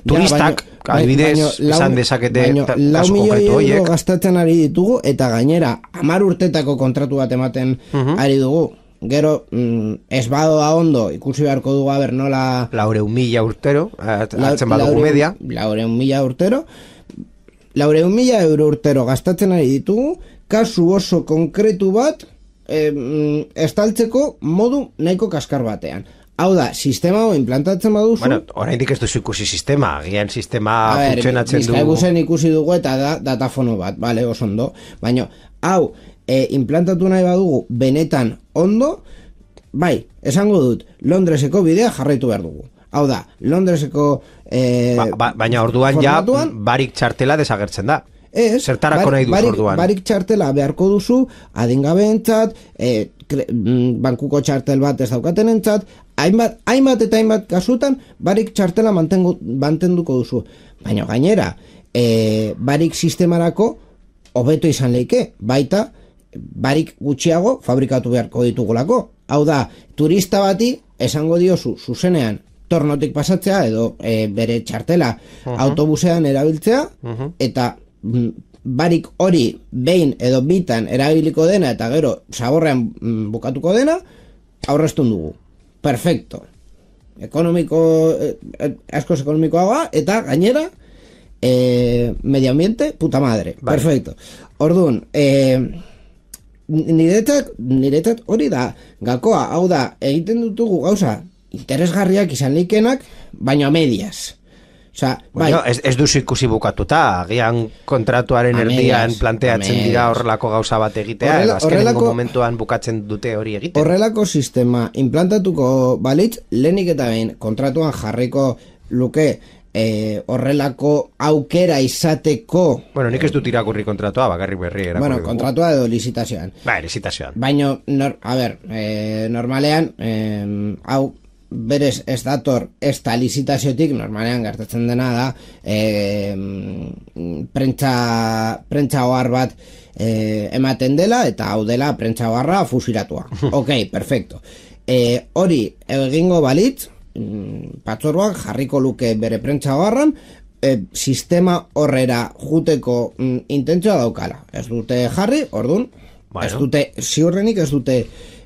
turistak, ja, adibidez, izan dezakete kasu konkretu horiek. Baina, gastatzen ari ditugu eta gainera, hamar urtetako kontratu bat ematen uh-huh. ari dugu. Gero, mm, ez badoa ondo, ikusi beharko dugu haber nola... Laureun mila urtero, hartzen badugu media. Laureun mila urtero. Laureun mila euro urtero gastatzen ari ditugu, kasu oso konkretu bat, e, mm, estaltzeko modu nahiko kaskar batean. Hau da, sistema hau implantatzen baduzu... Bueno, oraindik ez duzu ikusi sistema, gian sistema funtzionatzen du... Bizkaibusen ikusi dugu eta da datafono bat, vale, oso ondo. Baina, hau... E, implantatu nahi badugu benetan ondo, bai, esango dut, Londreseko bidea jarraitu behar dugu. Hau da, Londreseko e, ba, ba, baina orduan formatuan, ja barik txartela desagertzen da. Ez, zertarako nahi duz orduan. Barik txartela beharko duzu, adingabeentzat, e, bankuko txartel bat ez daukaten entzat, hainbat, hainbat eta hainbat kasutan, barik txartela mantengu, mantenduko duzu. Baina gainera, e, barik sistemarako hobeto izan leike, baita, barik gutxiago fabrikatu beharko ditugulako. Hau da, turista bati esango diozu zuzenean tornotik pasatzea edo e, bere txartela uh-huh. autobusean erabiltzea uh-huh. eta m, barik hori behin edo bitan erabiliko dena eta gero zaborrean m, bukatuko dena aurreztun dugu. Perfecto. Ekonomiko, eh, askoz ekonomikoa eta gainera eh, medio ambiente, puta madre. Vale. Perfecto. Orduan, eh, niretzat, niretzat hori da gakoa, hau da, egiten dutugu gauza interesgarriak izan leikenak, baina medias. Osea, bueno, bai, ez, ez duzu ikusi bukatuta, agian kontratuaren erdian planteatzen dira horrelako gauza bat egitea, Horrela, azkenengo momentuan bukatzen dute hori egiten. Horrelako sistema implantatuko balitz, lehenik eta behin kontratuan jarriko luke e, horrelako aukera izateko... Bueno, nik ez dut irakurri kontratua, bakarrik berri irakurri. Bueno, kontratua edo lizitazioan. Ba, lizitazioan. Baina, nor, a ber, e, normalean, e, hau, berez ez dator ez da lizitaziotik, normalean gertatzen dena da, e, prentsa, prentsa ohar bat e, ematen dela, eta hau dela prentsa oharra fusiratua. Ok, perfecto. E, hori egingo balitz, patzoruak jarriko luke bere prentsa oharran, e, sistema horrera juteko mm, intentzioa daukala. Ez dute jarri, ordun, bueno. ez dute, ziurrenik ez dute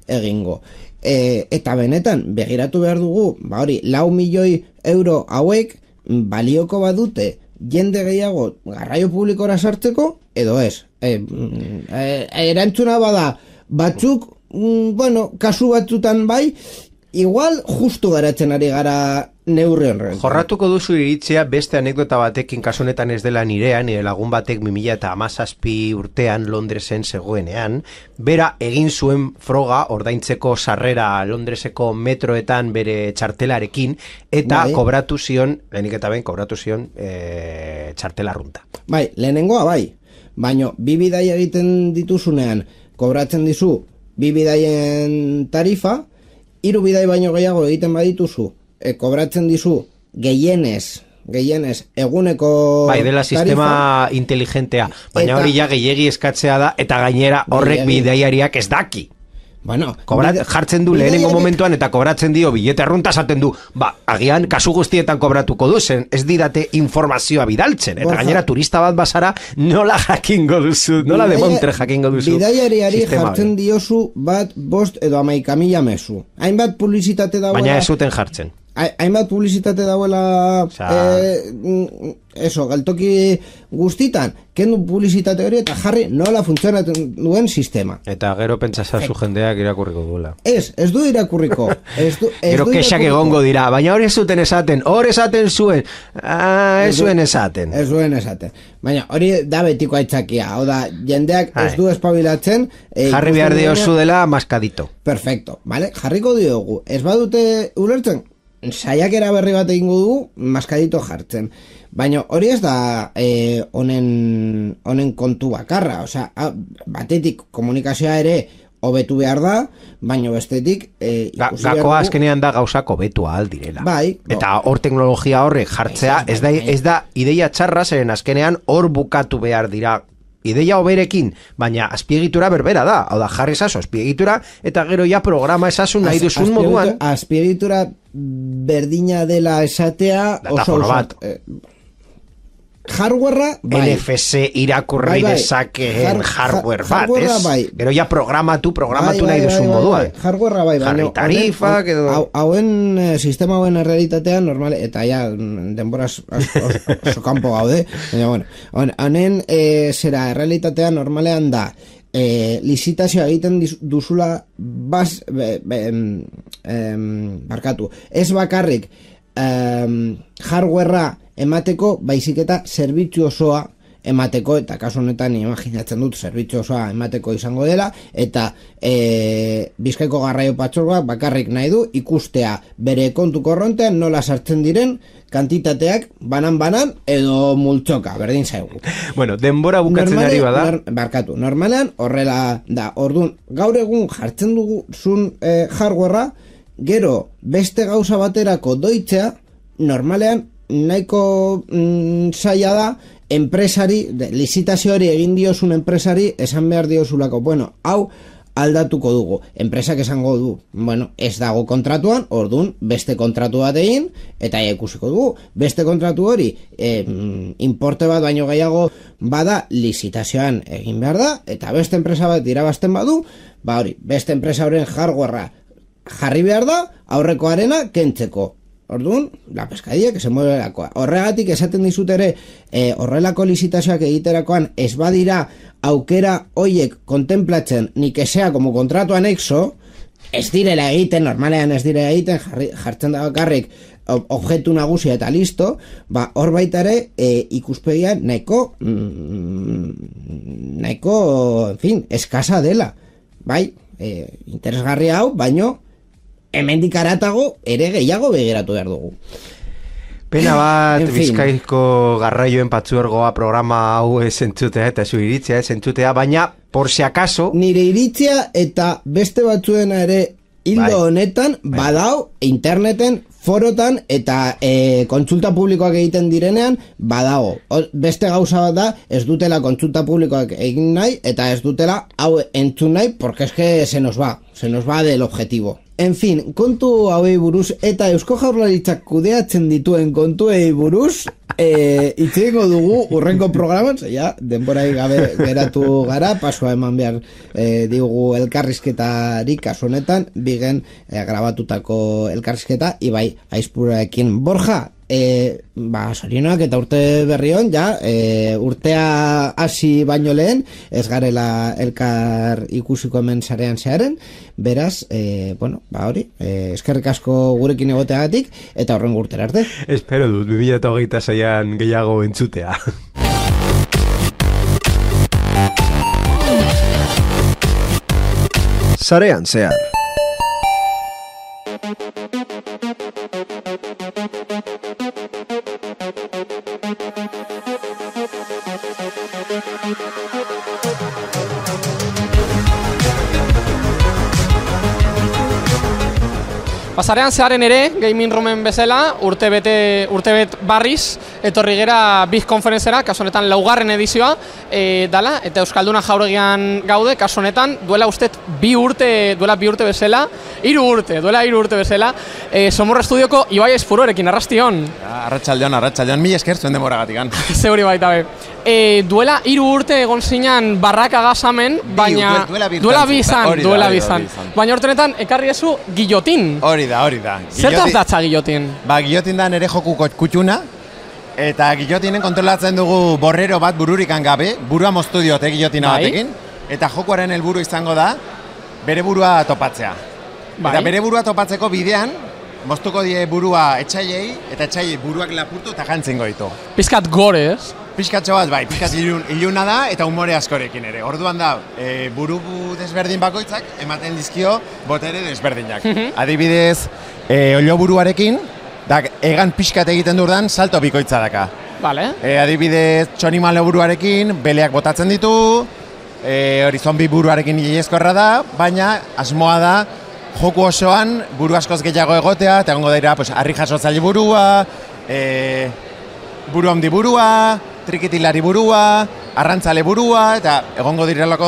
egingo. E, eta benetan, begiratu behar dugu, ba hori, lau milioi euro hauek balioko badute jende gehiago garraio publikora sartzeko, edo ez. E, e, erantzuna bada, batzuk, mm, bueno, kasu batzutan bai, igual justu garatzen ari gara neurri horren. Jorratuko duzu iritzea beste anekdota batekin, kasu honetan ez dela nirea, nire lagun batek bi mila hamazazpi urtean Londresen zegoenean, bera egin zuen froga ordaintzeko sarrera Londreseko metroetan bere txartelarekin, eta bai. kobratu zion, lehenik eta ben, kobratu zion e, txartela runta. Bai, lehenengoa bai, baino bi bidai egiten dituzunean, kobratzen dizu bi bidaien tarifa, hiru bidai baino gehiago egiten badituzu, e, kobratzen dizu gehienez, gehienez eguneko bai, dela sistema tarifa, inteligentea, baina hori ja gehiegi eskatzea da, eta gainera horrek bidaiariak ez daki. Bueno, Kobrat, jartzen du lehenengo momentuan eta kobratzen dio bilete arrunta esaten du, ba, agian kasu guztietan kobratuko duzen, ez didate informazioa bidaltzen, eta Borja, gainera turista bat basara nola jakingo duzu, nola de montre jakingo duzu. Bidaiariari jartzen diozu bat bost edo hamaika mila mezu. Hainbat publizitate dauela... Baina ez zuten jartzen. Hainbat publizitate dauela... O sea... eh, eso, galtoki guztitan, kendu publizitate hori eta jarri nola funtzionatzen duen sistema. Eta gero pentsasazu jendeak irakurriko duela. Ez, ez du irakurriko. Ez du, ez gero kexak egongo dira, baina hori ez zuten esaten, hori esaten zuen, ah, ez zuen esaten. Ez zuen esaten. Baina hori da betiko aitzakia, hau da, jendeak ez du espabilatzen. Eh, jarri behar diozu dela maskadito. Perfecto, vale? Jarriko diogu. Ez badute ulertzen, saiakera berri bat egingo dugu, maskadito jartzen. Baina hori ez da eh, honen, honen kontu bakarra, osea, batetik komunikazioa ere hobetu behar da, baina bestetik eh, Ga, gakoa azkenean da gauzako hobetu ahal direla. Bai, eta hor teknologia horrek jartzea, ez da, ez da ideia txarra, zeren azkenean hor bukatu behar dira ideia hoberekin, baina azpiegitura berbera da, hau da, jarri zazo azpiegitura, eta gero ja programa esazu nahi duzun moduan. Azpiegitura berdina dela esatea, oso oso... bat. Eh, hardwarea, bai. N F C irakurri bai, bai. dezakeen hardware bat, ez? Bai. Gero ja programatu, programatu bai, nahi duzun bai, bai, moduan. Bai. Hardwarea bai, jarri tarifa, edo... hauen sistema hauen realitatean normal, eta ja denbora oso kanpo gaude, baina bueno, honen e, zera realitatean normalean da, e, lizitazioa egiten duzula bas, be, be, em, barkatu, ez bakarrik em, hardwarea emateko, baizik eta zerbitzu osoa emateko, eta kasu honetan imaginatzen dut zerbitzu osoa emateko izango dela, eta e, Bizkaiko garraio patzuergoak bakarrik nahi du ikustea bere kontu korrontean nola sartzen diren kantitateak banan-banan edo multzoka, berdin zaigu. Bueno, denbora bukatzen Normale, ari bada. Nor, barkatu, normalean horrela da, orduan, gaur egun jartzen duguzun e, hardwarea, gero beste gauza baterako doitzea, normalean nahiko mm, zaila da enpresari, lizitazio hori egin diozun enpresari esan behar diozulako, bueno, hau aldatuko dugu, enpresak esango du, bueno, ez dago kontratuan, orduan beste kontratu bat egin eta ikusiko dugu, beste kontratu hori e, importe bat baino gehiago bada lizitazioan egin behar da, eta beste enpresa bat irabazten badu, ba hori, beste enpresa horren hardwarea jarri behar da, aurrekoarena kentzeko. Orduan, la pescadilla que se mueve lakoa. Horregatik esaten dizut ere, e, horrelako lizitazioak egiterakoan ez badira aukera hoiek kontemplatzen ni que sea como contrato anexo, ez direla egiten, normalean ez direla egiten, jarri, jartzen da bakarrik objektu nagusia eta listo, ba, hor baita ere e, ikuspegian nahiko mm, nahiko, en fin, eskasa dela. Bai, e, interesgarria hau, baino hemendik aratago ere gehiago begiratu behar dugu. Pena bat, Bizkaiko garraioen patzuergoa programa hau ez entzutea eta zu iritzia ez entzutea, baina, por si acaso... Nire iritzia eta beste batzuena ere hildo honetan, badao interneten, forotan eta e, kontsulta publikoak egiten direnean, badago. O, beste gauza bat da, ez dutela kontsulta publikoak egin nahi, eta ez dutela hau entzun nahi, porque es que se nos va, se nos va del objetivo. En fin, kontu hauei buruz eta Eusko Jaurlaritzak kudeatzen dituen kontuei buruz e, itxeiko dugu urrengo programan, ja, denborai gabe geratu gara, pasua eman behar e, digu elkarrizketarik kasu honetan, bigen e, grabatutako elkarrizketa, ibai aizpuraekin Borja, e, ba, sorionak eta urte berrion, ja, e, urtea hasi baino lehen, ez garela elkar ikusiko hemen sarean zearen, beraz, e, bueno, ba hori, e, eskerrik asko gurekin egoteagatik, eta horren urtera arte. Espero dut, bi mila hogeita seian gehiago entzutea. Sarean zehar. Pasarean zearen ere, Gaming Roomen bezala, urte bete, urte bet barriz, etorri gera Big Conferencera, kasu honetan laugarren edizioa e, dala, eta Euskalduna jauregian gaude, kasu honetan, duela ustet bi urte, duela bi urte bezala, hiru urte, duela hiru urte bezala, e, Somorra Estudioko Ibai Aizpuruarekin, arrastion. Arratsaldeon, arratsaldeon, mila esker zuen demoragatikan. Zeuri baita be. E, duela hiru urte egon zinen barraka gazamen, baina duela bi izan, duela bi izan. Baina hortenetan, ekarri ezu Guillotin. Hori da, hori da. Zertaz datza Guillotin? Ba, Guillotin da nere joku kutxuna, eta Guillotinen kontrolatzen dugu borrero bat bururikan gabe, burua moztu diote Guillotina batekin, eta jokuaren helburu izango da, bere burua topatzea. Bai. Eta bere burua topatzeko bidean, moztuko die burua etxaiei, eta etxaiei buruak lapurtu eta jantzen goitu. Pizkat gore, ez? Pizkatxo bat, bai, pizkat ilun, iluna da eta umore askorekin ere. Orduan da, e, buru desberdin bakoitzak ematen dizkio botere desberdinak. Adibidez, e, olio buruarekin, da, egan pixkat egiten durdan, salto bikoitza daka. Vale. E, adibidez, txonimalo buruarekin, beleak botatzen ditu, e, hori zombi buruarekin hilezkorra da, baina asmoa da, joku osoan buru askoz gehiago egotea, eta egongo dira, pues, harri jasotzaile burua, e, buru handi burua, trikitilari burua, arrantzale burua, eta egongo direlako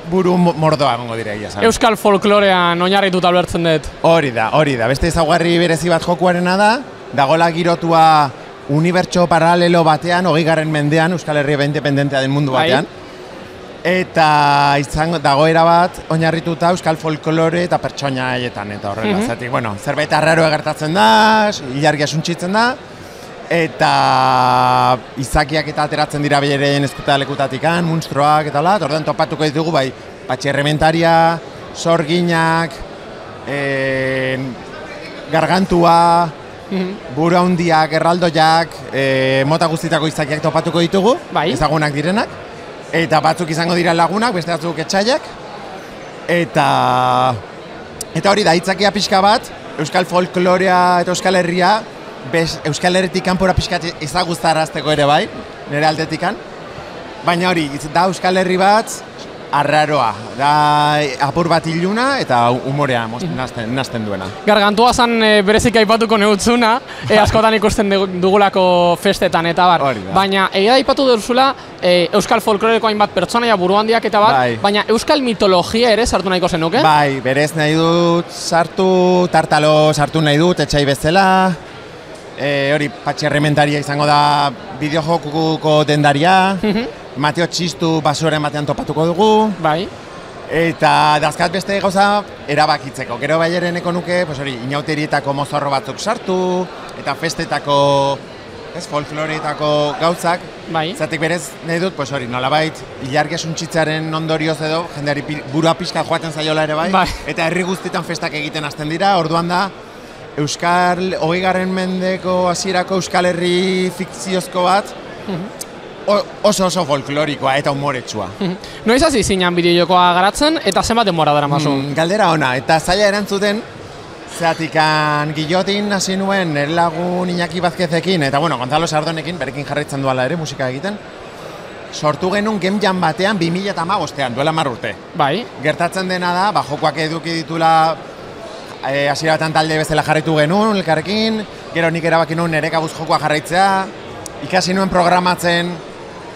buru mordoa egongo dira egia. Euskal folklorean oinarrituta ulertzen dut. Hori da, hori da. Beste ezaugarri berezi bat jokuarena da, dagola girotua unibertso paralelo batean, hogeigarren mendean, Euskal Herria independentea den mundu batean. Eta izango dagoera bat oinarrituta euskal folklore eta pertsonaietan eta horrela. Mm-hmm. Zatik, bueno, zerbait arraroa gertatzen da, ilargia suntzitzen da, eta izakiak eta ateratzen dira behireien eskuta lekutatikan, munstroak eta hola, orduan topatuko ditugu bai, patxerrementaria, sorginak, e, gargantua, mm-hmm. buru handiak, erraldoiak, e, mota guztitako izakiak topatuko ditugu, bai. Ezagunak direnak, eta batzuk izango dira lagunak, beste batzuk etxaiak, eta, eta hori da, hitzakia pixka bat, euskal folklorea eta euskal herria, Bez, Euskal Herritik kanpora pixkat ezaguztarazteko ere bai, nire aldetikan. Baina hori, da Euskal Herri bat arraroa, da apur bat iluna eta umorea nazten, nazten duena. Gargantua zan e, berezik aipatuko neutzuna, e, askotan ikusten dugulako festetan eta bar. Baina egia aipatu duzula e, Euskal folkloreko hainbat pertsonaia buru handiak eta bar, bai. Baina Euskal mitologia ere sartu nahiko zenuke? Bai, berez nahi dut sartu, tartalo sartu nahi dut, etxai bezala. E, hori, patxerrementaria izango da bideojokuko dendaria, mm-hmm. Mateo Txistu basoren batean topatuko dugu. Bai. Eta dazkat beste gauza erabakitzeko. Gero bai ere neko nuke, pues hori, inauterietako mozorro batzuk sartu, eta festetako, ez, folkloreetako gauzak. Bai. Zatek berez nahi dut, pues hori, nolabait, ilargia suntzitzaren ondorioz edo, jendeari burua pixka joaten zaiola ere bai. Bai. Eta herri guztietan festak egiten hasten dira, orduan da, Euskal, hogeigarren mendeko hasierako Euskal Herri fikziozko bat, oso oso folklorikoa eta humoretsua. Noiz hasi zinan bideojokoa garatzen eta zenbat denbora daramazu? Mm, galdera ona, eta zaila erantzuten, Zeatikan Guillotin hasi nuen nire lagun Iñaki Vázquezekin, eta bueno, Gonzalo Sardonekin, berekin jarraitzen duala ere musika egiten, sortu genuen Game Jam batean bi mila hamabostean, duela hamar urte. Bai. Gertatzen dena da, ba, jokoak eduki ditula e, hasiera batan talde bezala jarraitu genuen, elkarrekin, gero nik erabaki nuen nire kabuz jokoa jarraitzea, ikasi nuen programatzen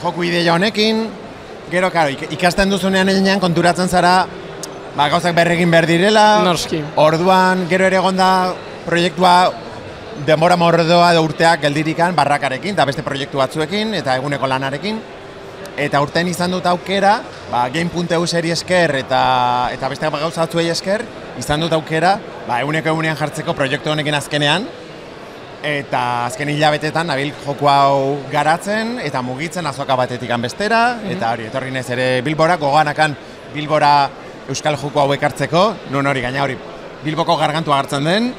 joku ideia honekin, gero, karo, ikasten duzunean eginean konturatzen zara, ba, gauzak berregin behar direla, Norski. Orduan, gero ere egonda proiektua denbora mordoa edo urteak geldirikan barrakarekin, eta beste proiektu batzuekin, eta eguneko lanarekin. Eta urtean izan dut aukera, ba, Game.eu seri esker eta, eta beste gauza batzuei esker, izan dut aukera, ba, eguneko egunean jartzeko proiektu honekin azkenean, eta azken hilabetetan nabil joku hau garatzen, eta mugitzen azoka batetikan bestera, eta hori, etorri nez ere Bilbora, goganakan Bilbora euskal joku hau ekartzeko, nun hori gaina hori Bilboko gargantua hartzen den,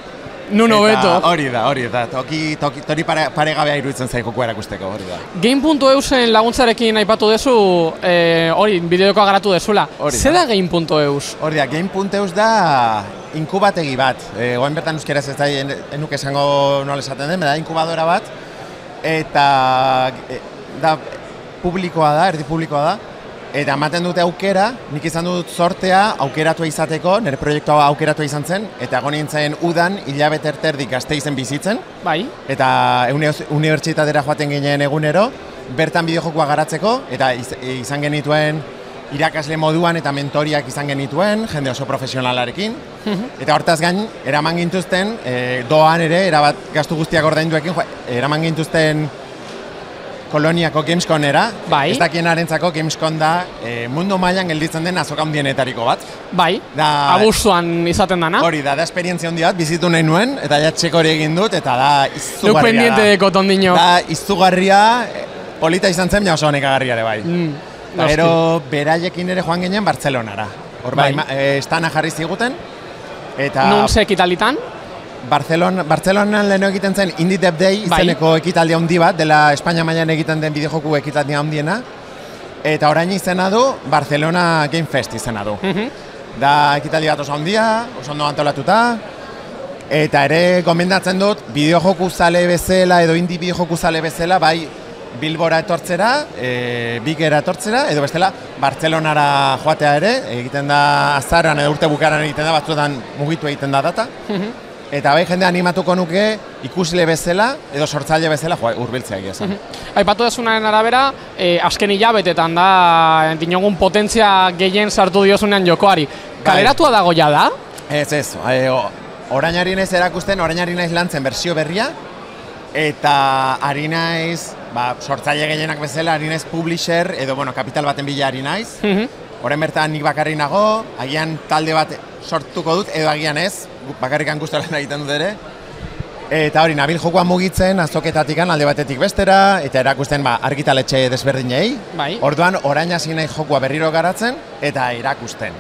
Nun hobeto. hori da, hori da, toki, toki, tori pare, paregabea iruditzen zaik joku erakusteko, hori da. Game.eusen laguntzarekin aipatu dezu, eh, hori, bideokoa garatu dezula. Zer da Game.eus? Hori da, Game.eus da inkubategi bat. E, Oain bertan euskeraz ez da, enuk esango nola esaten den, da inkubadora bat, eta e, da publikoa da, erdi publikoa da, eta ematen dute aukera, nik izan dut sortea aukeratua izateko, nire proiektua aukeratua izan zen, eta egon nintzen udan hilabete erterdik Gasteizen bizitzen, Bai. eta unibertsitatera joaten ginen egunero, bertan bideojokoa garatzeko, eta iz, izan genituen irakasle moduan eta mentoriak izan genituen, jende oso profesionalarekin, eta hortaz gain, eraman gintuzten, e, doan ere, erabat gastu guztiak ordainduekin, eraman gintuzten Koloniako Gamesconera, bai. Ez dakienarentzako Gamescon da e, mundu mailan gelditzen den azoka handienetariko bat. Bai, da, abuztuan izaten dana. Hori da, da esperientzia handi bat, bizitu nahi nuen, eta ja txeko hori egin dut, eta da izugarria Luk pendiente da. deko tondino. Da izugarria, polita izan zen, ja oso honekagarria ere bai. Mm, Gero beraiekin ere joan ginen Bartzelonara. Hor bai, bai e, estana jarri ziguten. Eta nun ze ekitalitan? Barcelona, Bartzelonan leheno egiten zen Indie Dev Day izeneko bai. Ekitaldi handi bat, dela Espainia mailan egiten den bideojoku ekitaldi handiena. Eta orain izena du, Barcelona Game Fest izena du. Uh-huh. Da ekitaldi bat oso handia, oso ondo antolatuta. Eta ere gomendatzen dut, bideojoku zale bezala edo indie bideojoku zale bezala, bai Bilbora etortzera, e, Bigera etortzera, edo bestela Bartzelonara joatea ere, egiten da azaran edo urte bukaran egiten da, batzuetan mugitu egiten da data. Uh-huh. Eta bai jende animatuko nuke ikusle bezala edo sortzaile bezala joa hurbiltzea egia zen. Aipatu dezunaren arabera, eh, azken hilabetetan da dinogun potentzia gehien sartu diozunean jokoari. Kaleratua dago ja da? Ez ez, e, orainari naiz erakusten, orainari naiz lantzen bersio berria, eta ari naiz, ba, sortzaile gehienak bezala, ari naiz publisher edo bueno, kapital baten bila ari naiz. Uh-huh. Orain bertan nik bakarri nago, agian talde bat sortuko dut, edo agian ez, bakarrikan guztaren egiten dut ere. Eta hori, nabil jokoa mugitzen azoketatikan alde batetik bestera, eta erakusten ba, argitaletxe desberdinei. Bai. Orduan, orain hasi nahi jokoa berriro garatzen, eta erakusten.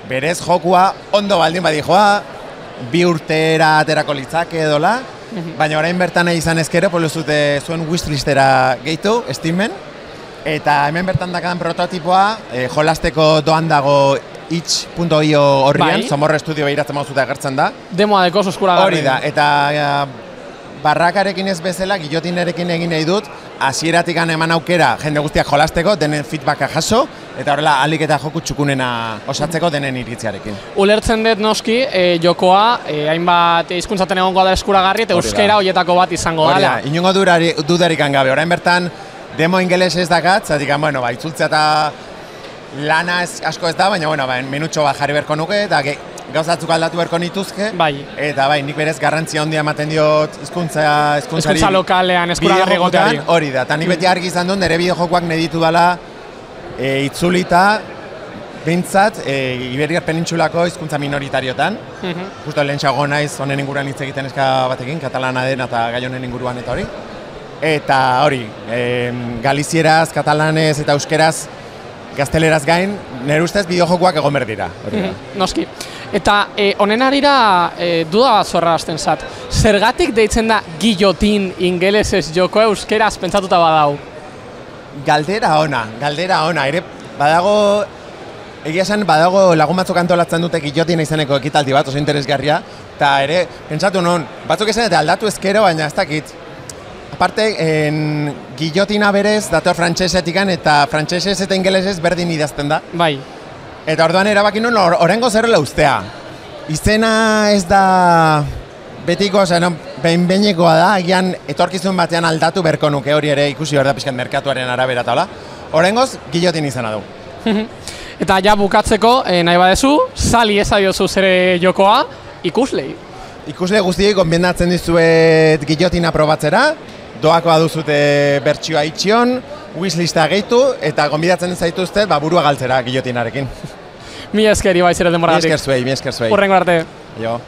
Berez jokua ondo baldin badi joa, bi urtera aterako litzake edola, baina orain bertan nahi izan ezkero, poluzute zuen wishlistera gehitu, Steamen. Eta hemen bertan dakadan prototipoa, eh, jolasteko doan dago itch punto io horrian, bai. Somorro Studio behiratzen mauzuta agertzen da. Demoa deko eskuragarri. Hori da, eta ja, barrakarekin ez bezala, Guillotinerekin egin nahi dut, hasieratik eman aukera jende guztiak jolasteko, denen feedbacka jaso, eta horrela alik eta joku txukunena osatzeko denen iritziarekin. Ulertzen dut noski, e, jokoa, e, hainbat hizkuntzaten egongo da eskuragarri, eta euskera horietako bat izango dela. Hori da, inongo dudarik gabe, orain bertan, demo ingeles ez dakat, zatik, bueno, ba, itzultzea eta lana ez, asko ez da, baina, bueno, ba, minutxo bat jarri berko nuke, eta gauzatzuk aldatu berko nituzke. Bai. Eta bai, nik berez garrantzia handia ematen diot hizkuntza hizkuntzari. Hizkuntza lokalean, eskuragarri goteari. Hori da, eta nik beti argi izan dut, nire bideojokoak nahi ditu dela e, itzulita, behintzat, e, Iberiar Penintxulako hizkuntza minoritariotan. Uh-huh. Justo lehen txago naiz, honen inguruan hitz egiten eska batekin, katalana den eta gai honen inguruan eta hori. Eta hori, e, galizieraz, katalanez eta euskeraz, gazteleraz gain, nire ustez bideojokoak egon behar dira. Mm-hmm. Noski. Eta e, honen arira e, duda bat zorra hasten zat. Zergatik deitzen da Guillotin ingelesez joko euskeraz pentsatuta badau? Galdera ona, galdera ona. Ere, badago, egia esan, badago lagun batzuk antolatzen dute Guillotin izeneko ekitaldi bat, oso interesgarria. Eta ere, pentsatu non, batzuk esan eta aldatu ezkero, baina ez dakit. Aparte, en, guillotina berez, dator frantsesetikan eta frantsesez eta ingelesez berdin idazten da. Bai. Eta orduan erabaki nun, or, orengo zerrela ustea. Izena ez da betiko, osea, no, behin-behinekoa da, agian etorkizun batean aldatu berko nuke hori ere ikusi behar da pixkat merkatuaren arabera eta hola. Orengoz, guillotin izena du. Eta ja bukatzeko, eh, nahi badezu, sali ezaiozu zere jokoa, ikuslei. Ikusle guztiek konbiendatzen dizuet guillotina probatzera, doakoa duzute bertsioa itxion, wishlista gehitu, eta konbidatzen zaituzte ba, burua galtzera guillotinarekin. Mi eskeri baizere denboratik. Mi esker zuei, mi esker zuei. Urrengo arte. Jo.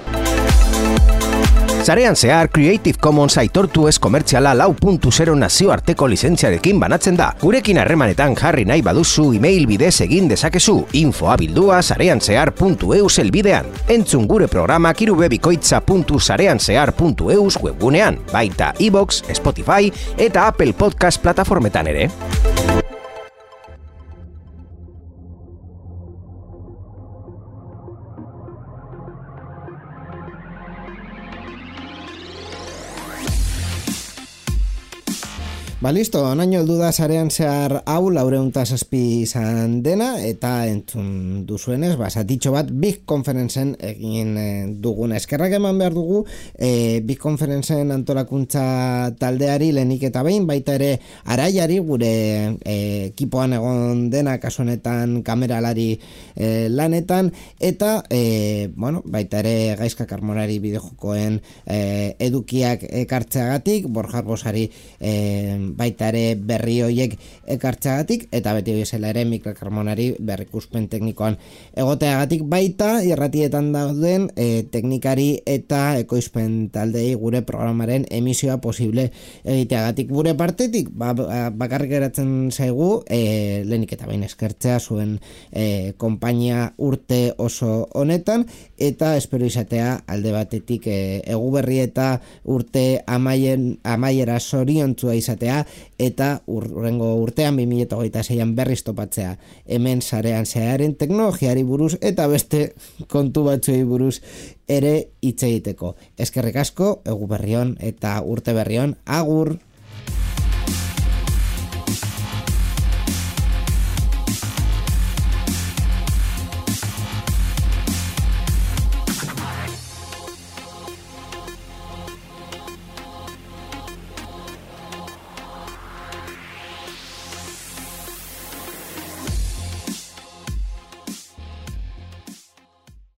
Sarean zehar Creative Commons aitortu ez komertziala lau puntu zero nazioarteko lizentziarekin banatzen da. Gurekin harremanetan jarri nahi baduzu email bidez egin dezakezu infoa bildua sareanzehar puntu eus elbidean. Entzun gure programak irubebikoitza puntu sareanzehar puntu eus webgunean, baita iVoox, Spotify eta Apple Podcast plataformetan ere. Ba, listo, naino heldu da sarean zehar hau laureun eta zazpi izan dena, eta entzun duzuenez, ba, zatitxo bat Big Conferencen egin e, dugun. Eskerrak eman behar dugu, e, Big Conferencen antolakuntza taldeari lehenik eta behin, baita ere Araiari, gure e, ekipoan egon dena, kasu honetan kameralari e, lanetan, eta, e, bueno, baita ere Gaizka Karmonari bideojokoen e, edukiak ekartzeagatik, Borja Arbosari e, baita ere berri hoiek ekartzeagatik, eta beti bezala ere Mikel Carmonari berrikuspen teknikoan egoteagatik, baita irratietan dauden e, teknikari eta ekoizpen taldei gure programaren emisioa posible egiteagatik. Gure partetik ba, bakarrik geratzen zaigu e, lehenik eta behin eskertzea zuen e, konpainia urte oso honetan, eta espero izatea alde batetik e, eguberri eta urte amaien, amaiera zoriontzua izatea, eta urrengo urtean bi mila hogeita seian berriz topatzea hemen sarean zeharren teknologiari buruz eta beste kontu batzuei buruz ere hitz egiteko. Eskerrik asko, egu berrion eta urte berrion, agur!